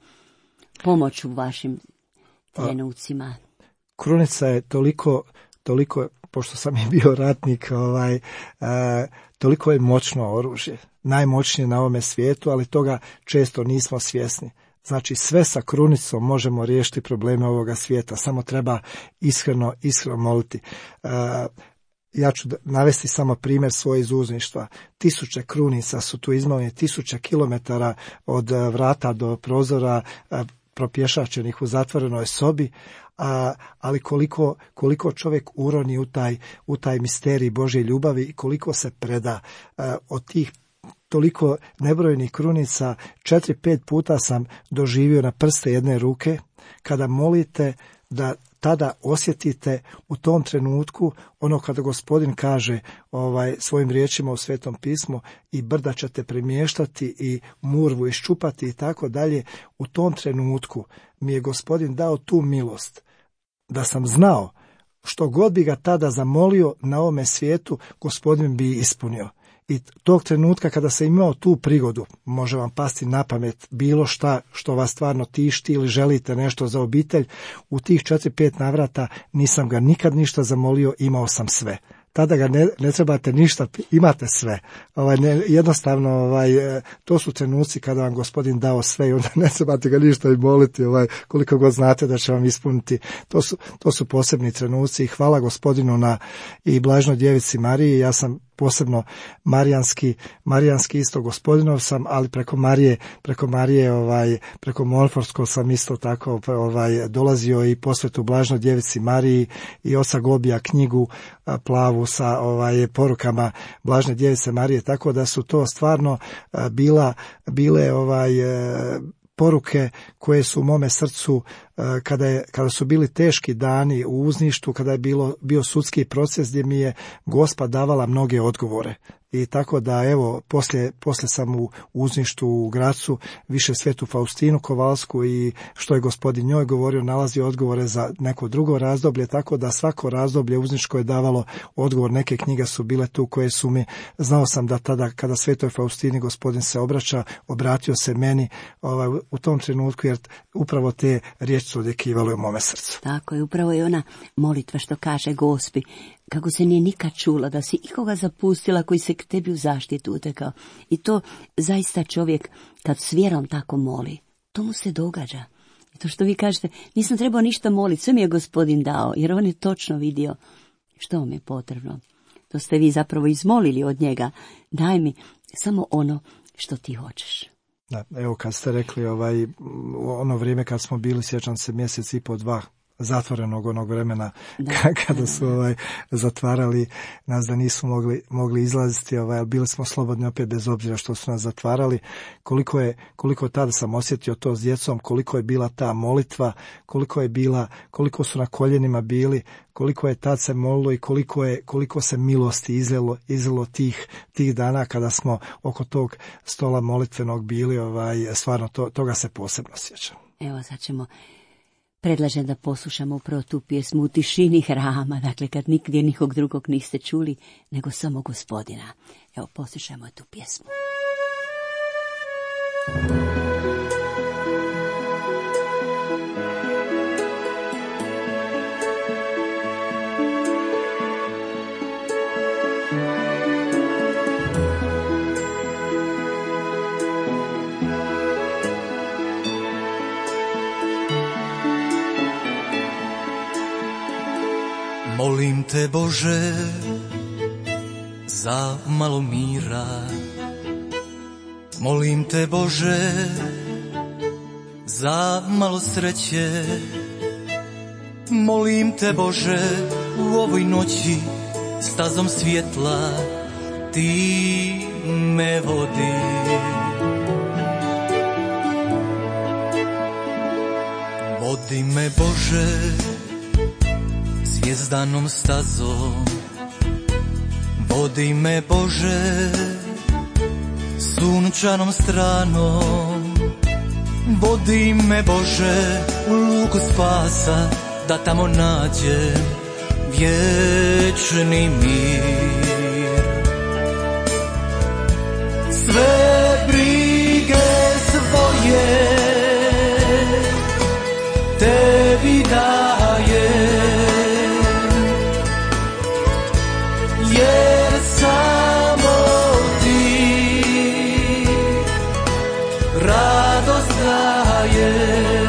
pomoć u vašim trenucima? Krunica je toliko, toliko, pošto sam i bio ratnik, ovaj, a, toliko je moćno oružje, najmoćnije na ovome svijetu, ali toga često nismo svjesni. Znači, sve sa Krunicom možemo riješiti probleme ovoga svijeta, samo treba iskreno, iskreno moliti. Uh, ja ću navesti samo primjer svoje iz uzništva. Tisuće krunica su tu izmaljene, tisuće kilometara od vrata do prozora uh, propješačenih u zatvorenoj sobi, a, ali koliko, koliko čovjek uroni u taj, u taj misterij Božje ljubavi i koliko se preda uh, od tih toliko nebrojenih krunica. Četiri, pet puta sam doživio na prste jedne ruke, kada molite, da tada osjetite u tom trenutku ono kada Gospodin kaže ovaj, svojim riječima u Svetom pismu, i brda ćete premještati i murvu iščupati i tako dalje. U tom trenutku mi je Gospodin dao tu milost da sam znao što god bi ga tada zamolio na ovome svijetu, Gospodin bi ispunio. I tog trenutka kada sam imao tu prigodu, može vam pasti na pamet bilo šta što vas stvarno tišti ili želite nešto za obitelj, u tih četiri, pet navrata nisam ga nikad ništa zamolio, imao sam sve. Tada ga ne, ne trebate ništa, imate sve. Ovaj, ne, jednostavno, ovaj, to su trenuci kada vam Gospodin dao sve i onda ne trebate ga ništa i moliti, ovaj, koliko god znate da će vam ispuniti. To su, to su posebni trenuci i hvala Gospodinu na i Blažnoj Djevici Mariji. Ja sam posebno marijanski, marijanski isto Gospodinov sam, ali preko Marije, preko Marije, ovaj, preko Monforskog sam isto tako ovaj, dolazio i posvetu Blažnoj Djevici Mariji i oca Gobija knjigu a, plavu sa ovaj, porukama Blažne Djevice Marije, tako da su to stvarno a, bila, bile ovaj, a, poruke koje su u mome srcu kada, je, kada su bili teški dani u uzništu, kada je bilo, bio sudski proces gdje mi je Gospa davala mnoge odgovore. I tako da, evo, poslije, poslije sam u uzništu u Gracu više Svetu Faustinu Kovalsku i što je Gospodin njoj govorio, nalazio odgovore za neko drugo razdoblje, tako da svako razdoblje uzniško je davalo odgovor. Neke knjige su bile tu koje su mi, znao sam da tada kada Svetoj Faustini Gospodin se obraća, obratio se meni ovaj, u tom trenutku, jer upravo te riječi su odjekivale u mome srcu. Tako je, upravo je ona molitva što kaže Gospi, kako se nije nikad čula da si ikoga zapustila koji se k tebi u zaštitu utekao. I to zaista čovjek kad s vjerom tako moli, to mu se događa. I to što vi kažete, nisam trebao ništa moliti, sve mi je Gospodin dao, jer on je točno vidio što vam je potrebno. To ste vi zapravo izmolili od njega, daj mi samo ono što ti hoćeš. Da, evo kad ste rekli ovaj, ono vrijeme kad smo bili, sjećam se mjesec i po dva zatvorenog onog vremena da, kada su ovaj, zatvarali nas da nisu mogli, mogli izlaziti, ovaj, bili smo slobodni opet bez obzira što su nas zatvarali. Koliko je, koliko tada sam osjetio to s djecom, koliko je bila ta molitva, koliko je bila, koliko su na koljenima bili, koliko je tad se molilo i koliko je, koliko se milosti izlilo, izlilo tih, tih dana kada smo oko tog stola molitvenog bili, ovaj, stvarno to, toga se posebno sjećam. Evo sad ćemo Predlažem da poslušamo upravo tu pjesmu u tišini hrama, dakle kad nigdje nikog drugog niste čuli, nego samo Gospodina. Evo, poslušajmo tu pjesmu. Molim te, Bože, za malo mira. Molim te, Bože, za malo sreće. Molim te Bože u ovoj noći stazom svjetla ti me vodi. Vodi me Bože zvjezdanom stazom, vodi me Bože sunčanom stranom, vodi me Bože u luku spasa, da tamo nađem vječni mir. Sve brige svoje tebi dajem, jer samo ti radost daješ.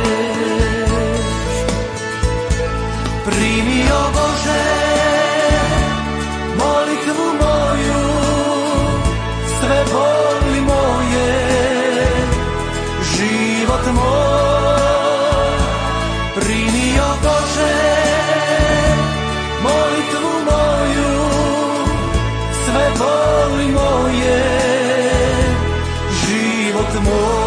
Primi, o Bože, molitvu moju, sve boli moje, život moj. Primi, o Bože, molitvu moju, sve boli moje, život moj.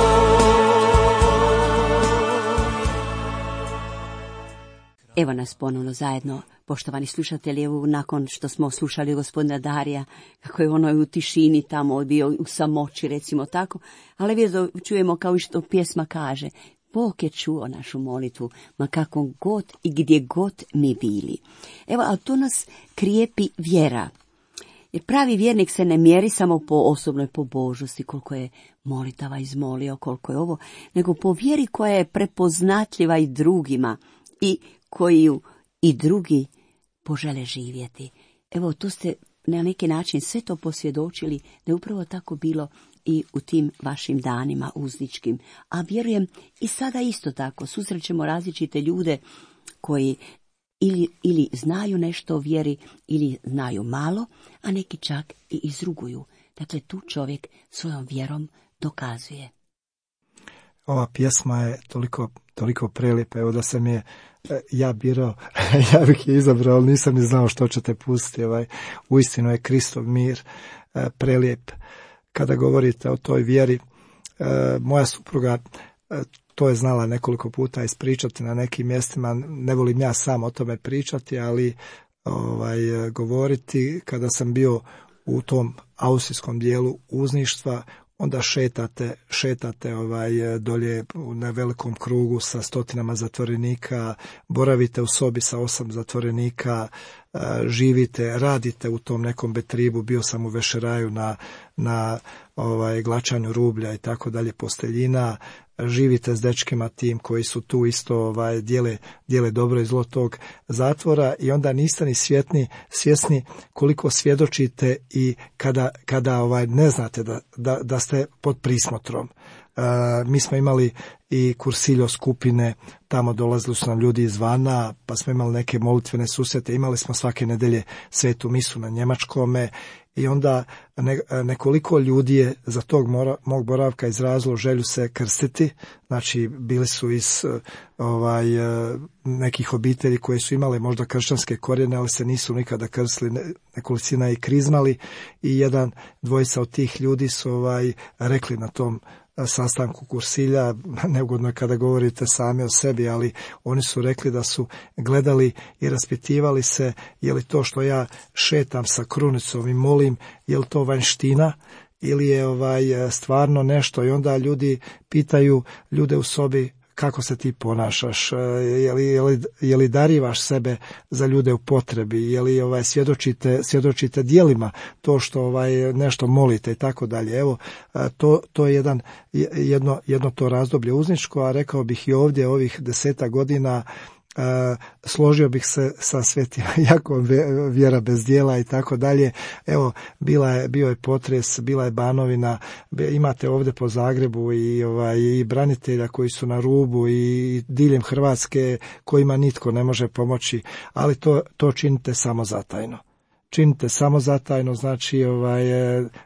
Evo nas ponovno zajedno, poštovani slušatelji, evo nakon što smo slušali gospodina Darija, kako je ono u tišini tamo bio u samoći, recimo tako, ali vjezo čujemo kao i što pjesma kaže, Bog je čuo našu molitvu, ma kako god i gdje god mi bili. Evo, ali to nas krijepi vjera. Jer pravi vjernik se ne mjeri samo po osobnoj pobožnosti, koliko je molitava izmolio, koliko je ovo, nego po vjeri koja je prepoznatljiva i drugima i koju i drugi požele živjeti. Evo, tu ste na neki način sve to posvjedočili da je upravo tako bilo i u tim vašim danima uzničkim. A vjerujem i sada isto tako susrećemo različite ljude koji ili, ili znaju nešto o vjeri ili znaju malo, a neki čak i izruguju. Dakle, tu čovjek svojom vjerom dokazuje. Ova pjesma je toliko, toliko prelijepa, evo da sam je ja birao, ja bih je izabrao, ali nisam ni znao što ćete pustiti. Ovaj, uistinu je Kristov mir prelijep. Kada govorite o toj vjeri, moja supruga to je znala nekoliko puta ispričati na nekim mjestima, ne volim ja sam o tome pričati, ali ovaj, govoriti kada sam bio u tom austrijskom dijelu uzništva, onda šetate, šetate ovaj, dolje na velikom krugu sa stotinama zatvorenika, boravite u sobi sa osam zatvorenika, živite, radite u tom nekom betribu, bio sam u Vešeraju na, na ovaj, glačanju rublja i tako dalje, posteljina, živite s dečkima tim koji su tu isto ovaj, dijele, dijele dobro i zlo tog zatvora i onda niste ni svjetni, svjesni koliko svjedočite i kada, kada ovaj, ne znate da, da, da ste pod prismotrom. Uh, mi smo imali i kursiljo skupine, tamo dolazili su nam ljudi izvana, pa smo imali neke molitvene susrete, imali smo svake nedelje svetu misu na njemačkome i onda ne, nekoliko ljudi je za tog mora, mog boravka izrazilo želju se krstiti, znači bili su iz ovaj, nekih obitelji koje su imale možda kršćanske korijene, ali se nisu nikada krstili, nekolicina i krizmali i jedan, dvojica od tih ljudi su ovaj, rekli na tom sastanku kursilja, neugodno je kada govorite sami o sebi, ali oni su rekli da su gledali i raspitivali se je li to što ja šetam sa krunicom i molim, je li to vanština ili je ovaj stvarno nešto i onda ljudi pitaju ljude u sobi kako se ti ponašaš, je li, je li, je li darivaš sebe za ljude u potrebi, je li ovaj, svjedočite, svjedočite djelima to što ovaj, nešto molite i tako dalje. Evo, to, to je jedan, jedno, jedno to razdoblje uzničko, a rekao bih i ovdje ovih deseta godina Uh, složio bih se sa svetim Jakovom, vjera bez djela i tako dalje. Evo, bila je, bio je potres, bila je Banovina, imate ovdje po Zagrebu i, ovaj, i branitelja koji su na rubu i diljem Hrvatske kojima nitko ne može pomoći, ali to, to činite samo zatajno. činite samozatajno, znači ovaj,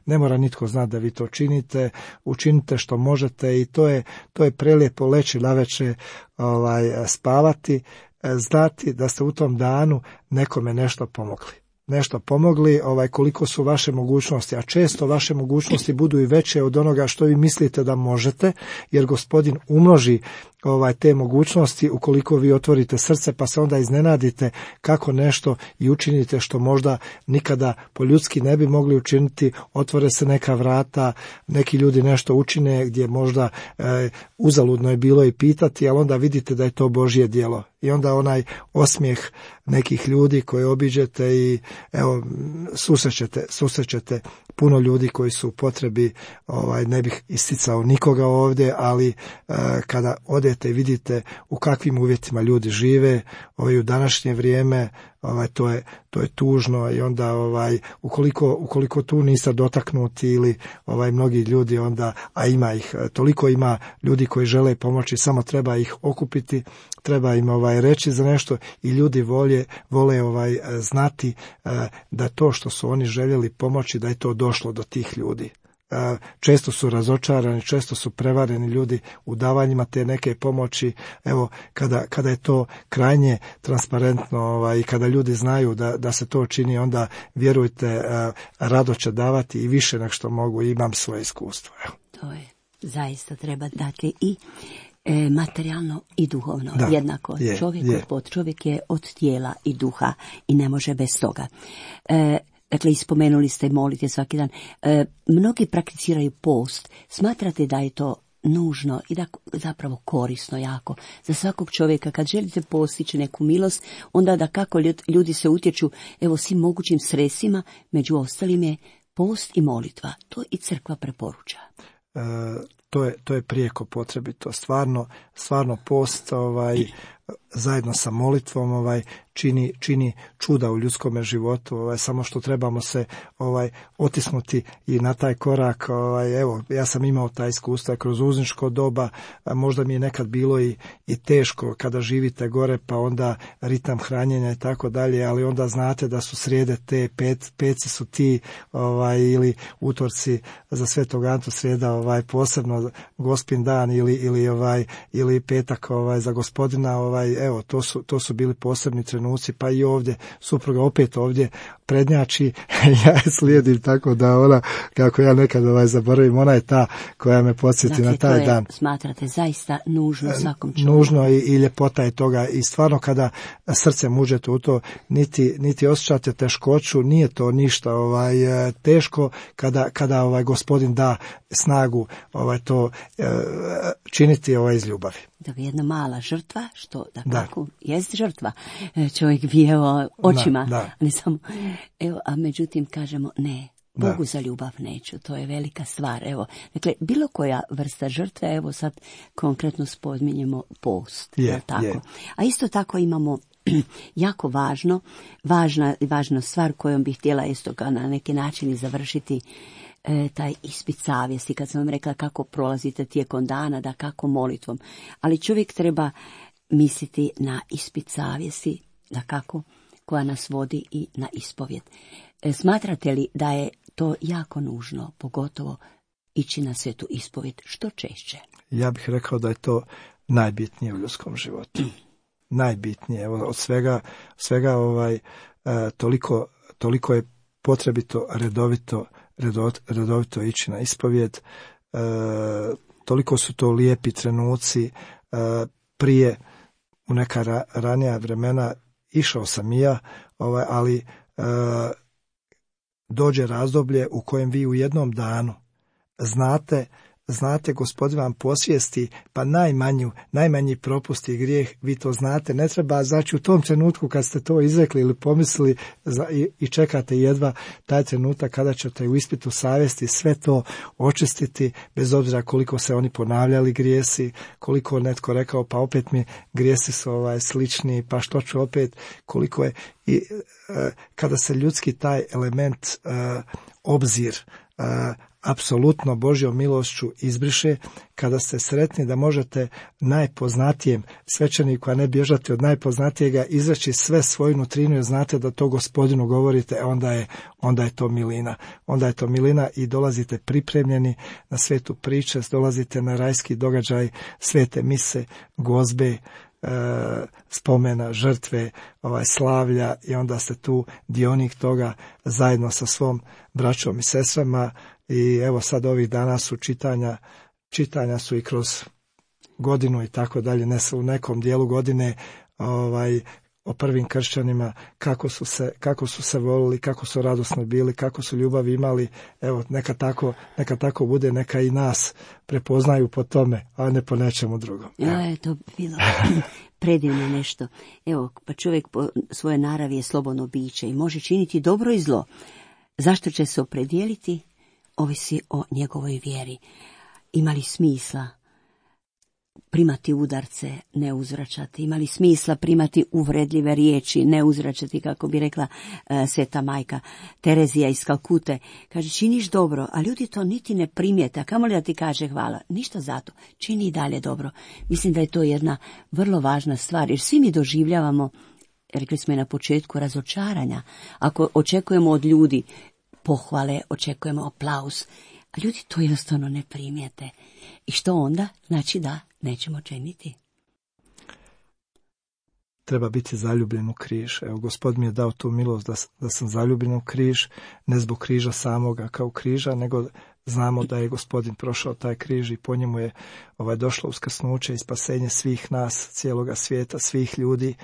ne mora nitko znati da vi to činite, učinite što možete i to je, to je prelijepo leći navečer, ovaj, spavati, znati da ste u tom danu nekome nešto pomogli. nešto pomogli, ovaj, koliko su vaše mogućnosti, a često vaše mogućnosti budu i veće od onoga što vi mislite da možete, jer Gospodin umnoži ovaj, te mogućnosti ukoliko vi otvorite srce, pa se onda iznenadite kako nešto i učinite što možda nikada po ljudski ne bi mogli učiniti, otvore se neka vrata, neki ljudi nešto učine gdje možda e, uzaludno je bilo i pitati, ali onda vidite da je to Božje djelo. I onda onaj osmijeh nekih ljudi koje obiđete i evo susrećete, susrećete puno ljudi koji su u potrebi, ovaj, ne bih isticao nikoga ovdje, ali e, kada odete i vidite u kakvim uvjetima ljudi žive, ovaj, u današnje vrijeme, ovaj, to je, to je tužno i onda ovaj, ukoliko, ukoliko tu niste dotaknuti ili ovaj, mnogi ljudi onda, a ima ih, toliko ima ljudi koji žele pomoći, samo treba ih okupiti, treba im ovaj, reći za nešto i ljudi volje, vole ovaj, znati eh, da to što su oni željeli pomoći, da je to došlo do tih ljudi. Često su razočarani, često su prevareni ljudi u davanjima te neke pomoći. Evo, kada, kada je to krajnje transparentno ovaj, i kada ljudi znaju da, da se to čini, onda vjerujte, rado će davati i više nego što mogu, imam svoje iskustvo. Evo. To je zaista treba dati i e, materijalno i duhovno. Da, jednako. je, čovjek, je. Od, čovjek je od tijela i duha i ne može bez toga. E, Dakle, ispomenuli ste molite svaki dan. E, mnogi prakticiraju post. Smatrate da je to nužno i da zapravo korisno jako za svakog čovjeka? Kad želite postići neku milost, onda da kako ljudi se utječu evo svim mogućim sredstvima, među ostalim je post i molitva. To i crkva preporuča. E, to je, to je prijeko potrebito. Stvarno, stvarno post ovaj, zajedno sa molitvom ovaj, čini, čini čuda u ljudskome životu, ovaj, samo što trebamo se ovaj, otisnuti i na taj korak. Ovaj, evo, ja sam imao taj iskustva kroz uzničko doba, možda mi je nekad bilo i, i teško kada živite gore, pa onda ritam hranjenja i tako dalje, ali onda znate da su srijede te, pet, peci su ti ovaj, ili utorci za Svetog Antu, srijeda ovaj, posebno Gospin dan ili, ili, ovaj, ili petak ovaj, za Gospodina, ovaj, evo, to su, to su bili posebni trenuci, pa i ovdje, supruga opet ovdje prednjači, ja slijedim tako da ona, kako ja nekad ovaj zaboravim, ona je ta koja me podsjeti dakle, na taj to je, dan. Smatrate zaista nužno svakom čovjeku. Nužno i, i ljepota je toga i stvarno kada srcem uđete u to, niti, niti osjećate teškoću, nije to ništa ovaj, teško kada, kada ovaj Gospodin da snagu ovaj, to e, činiti ovaj, iz ljubavi. Dakle, jedna mala žrtva, što da, Da. kako jest žrtva. Čovjek bi evo očima, Da, da. ne samo, evo, a međutim kažemo ne, Bogu Da. za ljubav neću, to je velika stvar. Evo, dakle, bilo koja vrsta žrtve, evo sad konkretno spominjemo post, Je, jel tako? je. A isto tako imamo jako važno, važna, važna stvar kojom bih htjela isto ga na neki način i završiti, E, taj ispit savjesti, kad sam vam rekla kako prolazite tijekom dana, da kako molitvom. Ali čovjek treba misliti na ispit savjesti, da kako, koja nas vodi i na ispovjed. E, smatrate li da je to jako nužno, pogotovo ići na svetu ispovjed što češće? Ja bih rekao da je to najbitnije u ljudskom životu. Najbitnije. Evo, od svega, svega ovaj, e, toliko, toliko je potrebito redovito redovito ići na ispovjed, e, toliko su to lijepi trenuci. E, prije u neka ra, ranija vremena išao sam i ja, ovaj, ali e, dođe razdoblje u kojem vi u jednom danu znate Znate, Gospodin vam posvijesti, pa najmanju, najmanji propust i grijeh, vi to znate, ne treba, znači u tom trenutku kad ste to izrekli ili pomislili i, i čekate jedva taj trenutak kada ćete u ispitu savjesti sve to očistiti, bez obzira koliko se oni ponavljali grijesi, koliko netko rekao, pa opet mi grijesi su ovaj, slični, pa što ću opet, koliko je, i e, kada se ljudski taj element, e, obzir, e, apsolutno Božjom milošću izbriše, kada ste sretni da možete najpoznatijem svećeniku, a ne bježati od najpoznatijega, izreći sve svoju nutrinu jer znate da to Gospodinu govorite, onda je, onda je to milina. Onda je to milina i dolazite pripremljeni na svetu pričest, dolazite na rajski događaj, svete mise, gozbe, spomena, žrtve, ovaj, slavlja i onda ste tu dionik toga zajedno sa svom braćom i sestrama. I evo sad ovih dana su čitanja, čitanja su i kroz godinu i tako dalje, ne u nekom dijelu godine ovaj, o prvim kršćanima, kako su se, kako su se volili, kako su radosno bili, kako su ljubavi imali. Evo, neka tako, neka tako bude, neka i nas prepoznaju po tome, a ne po nečemu drugom. Ja, je to bilo predivno nešto. Evo, pa čovjek po svoje naravi je slobodno biće i može činiti dobro i zlo. Zašto će se opredijeliti? Ovisi o njegovoj vjeri. Ima li smisla primati udarce, ne uzvraćati? Ima li smisla primati uvredljive riječi, ne uzvraćati, kako bi rekla uh, sveta majka Terezija iz Kalkute? Kaže, činiš dobro, a ljudi to niti ne primijete, a kamoli da ti kaže hvala. Ništa zato, čini i dalje dobro. Mislim da je to jedna vrlo važna stvar, jer svi mi doživljavamo, rekli smo i na početku, razočaranja. Ako očekujemo od ljudi pohvale, očekujemo aplauz, a ljudi to jednostavno ne primijete. I što onda? Znači da nećemo činiti. Treba biti zaljubljen u križ. Evo, Gospod mi je dao tu milost da, da sam zaljubljen u križ, ne zbog križa samoga kao križa, nego znamo da je Gospodin prošao taj križ i po njemu je ovaj, došlo uskrsnuće i spasenje svih nas, cijeloga svijeta, svih ljudi.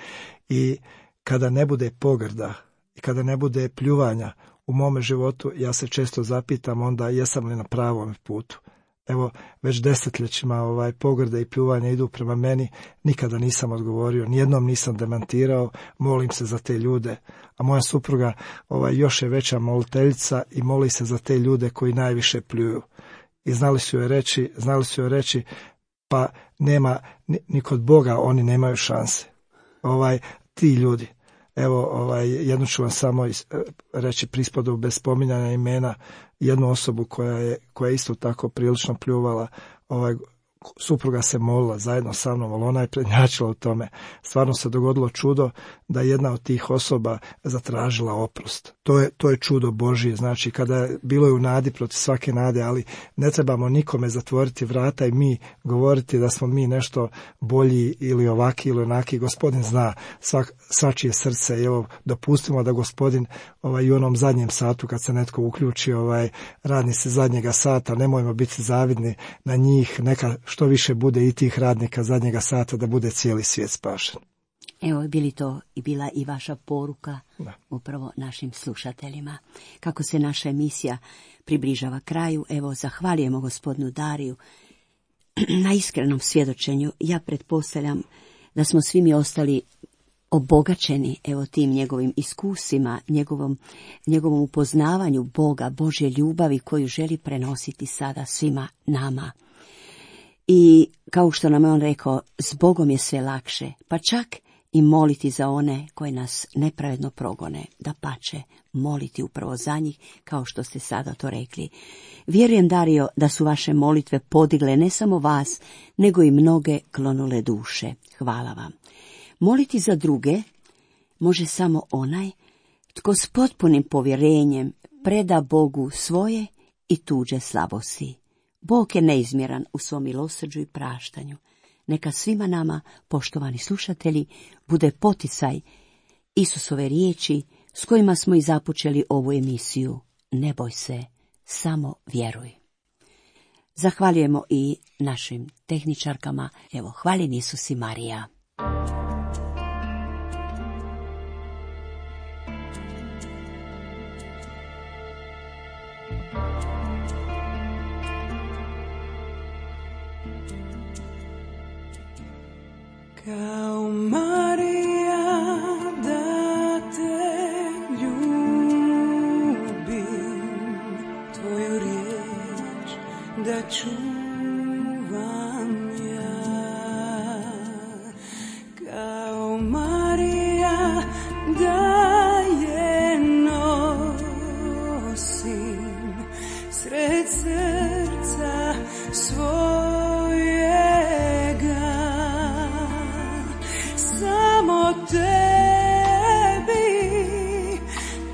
I kada ne bude pogrda i kada ne bude pljuvanja u mome životu, ja se često zapitam onda jesam li na pravom putu. Evo, već desetljećima ovaj, pogrde i pljuvanja idu prema meni, nikada nisam odgovorio, nijednom nisam demantirao, molim se za te ljude. A moja supruga ovaj, još je veća moliteljica i moli se za te ljude koji najviše pljuju. I znali su joj reći, znali su joj reći, pa nema, ni, ni kod Boga oni nemaju šanse. Ovaj, ti ljudi. Evo, ovaj, jednu ću vam samo reći prispodobu bez spominjanja imena, jednu osobu koja je, koja je isto tako prilično pljuvala, ovaj, supruga se molila zajedno sa mnom, ali ona je prednjačila u tome. Stvarno se dogodilo čudo da jedna od tih osoba zatražila oprost. To je, to je čudo Božije, znači kada bilo je u nadi protiv svake nade, ali ne trebamo nikome zatvoriti vrata i mi govoriti da smo mi nešto bolji ili ovaki ili onaki. Gospodin zna svak, svačije srce i evo dopustimo da Gospodin ovaj, i u onom zadnjem satu kad se netko uključi, ovaj, radnici zadnjega sata, nemojmo biti zavidni na njih, neka što više bude i tih radnika zadnjega sata da bude cijeli svijet spašen. Evo, bili to i bila i vaša poruka da. Upravo našim slušateljima. Kako se naša emisija približava kraju, evo, zahvaljujemo gospodinu Dariju na iskrenom svjedočenju. Ja pretpostavljam da smo svi mi ostali obogaćeni, evo, tim njegovim iskusima, njegovom, njegovom upoznavanju Boga, Božje ljubavi koju želi prenositi sada svima nama. I kao što nam je on rekao, s Bogom je sve lakše, pa čak i moliti za one koji nas nepravedno progone, da pače moliti upravo za njih, kao što ste sada to rekli. Vjerujem, Dario, da su vaše molitve podigle ne samo vas, nego i mnoge klonule duše. Hvala vam. Moliti za druge može samo onaj tko s potpunim povjerenjem preda Bogu svoje i tuđe slabosti. Bog je neizmjeran u svom milosrđu i praštanju. Neka svima nama, poštovani slušatelji, bude poticaj Isusove riječi s kojima smo i započeli ovu emisiju. Ne boj se, samo vjeruj. Zahvaljujemo i našim tehničarkama. Evo, hvaljen Isus i Marija. Kao Marija da te ljubim, tvoju riječ da čuvam ja. Kao Marija da je nosim, sred sebe samo tebi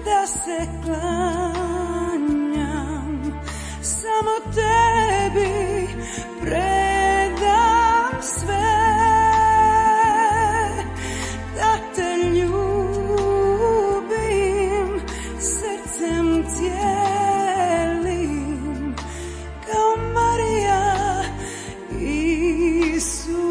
da se klanjam, samo tebi predam sve, da te ljubim srcem cijelim, kao Marija Isuse.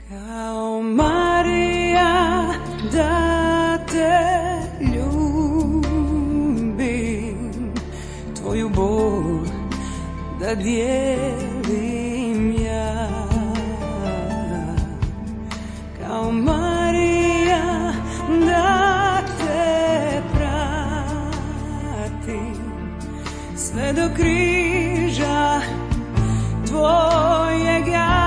Kao Marija da te ljubim, tvoju bol da dijelim ja. Kao Marija da te pratim sve do križa tvojega.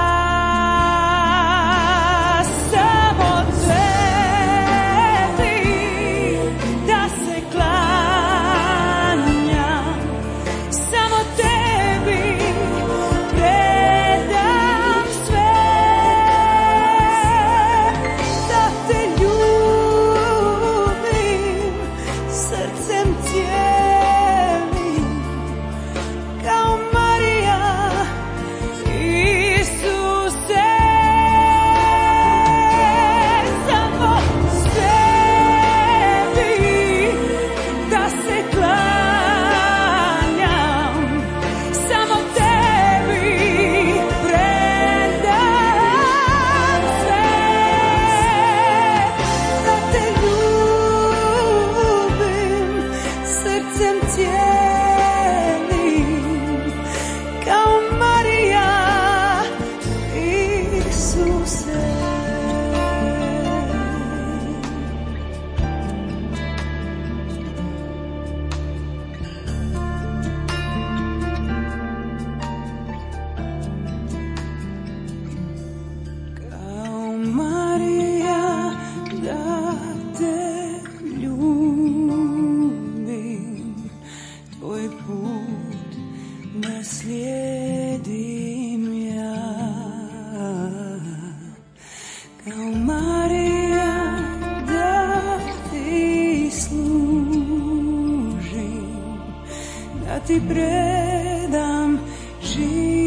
Ti predam život.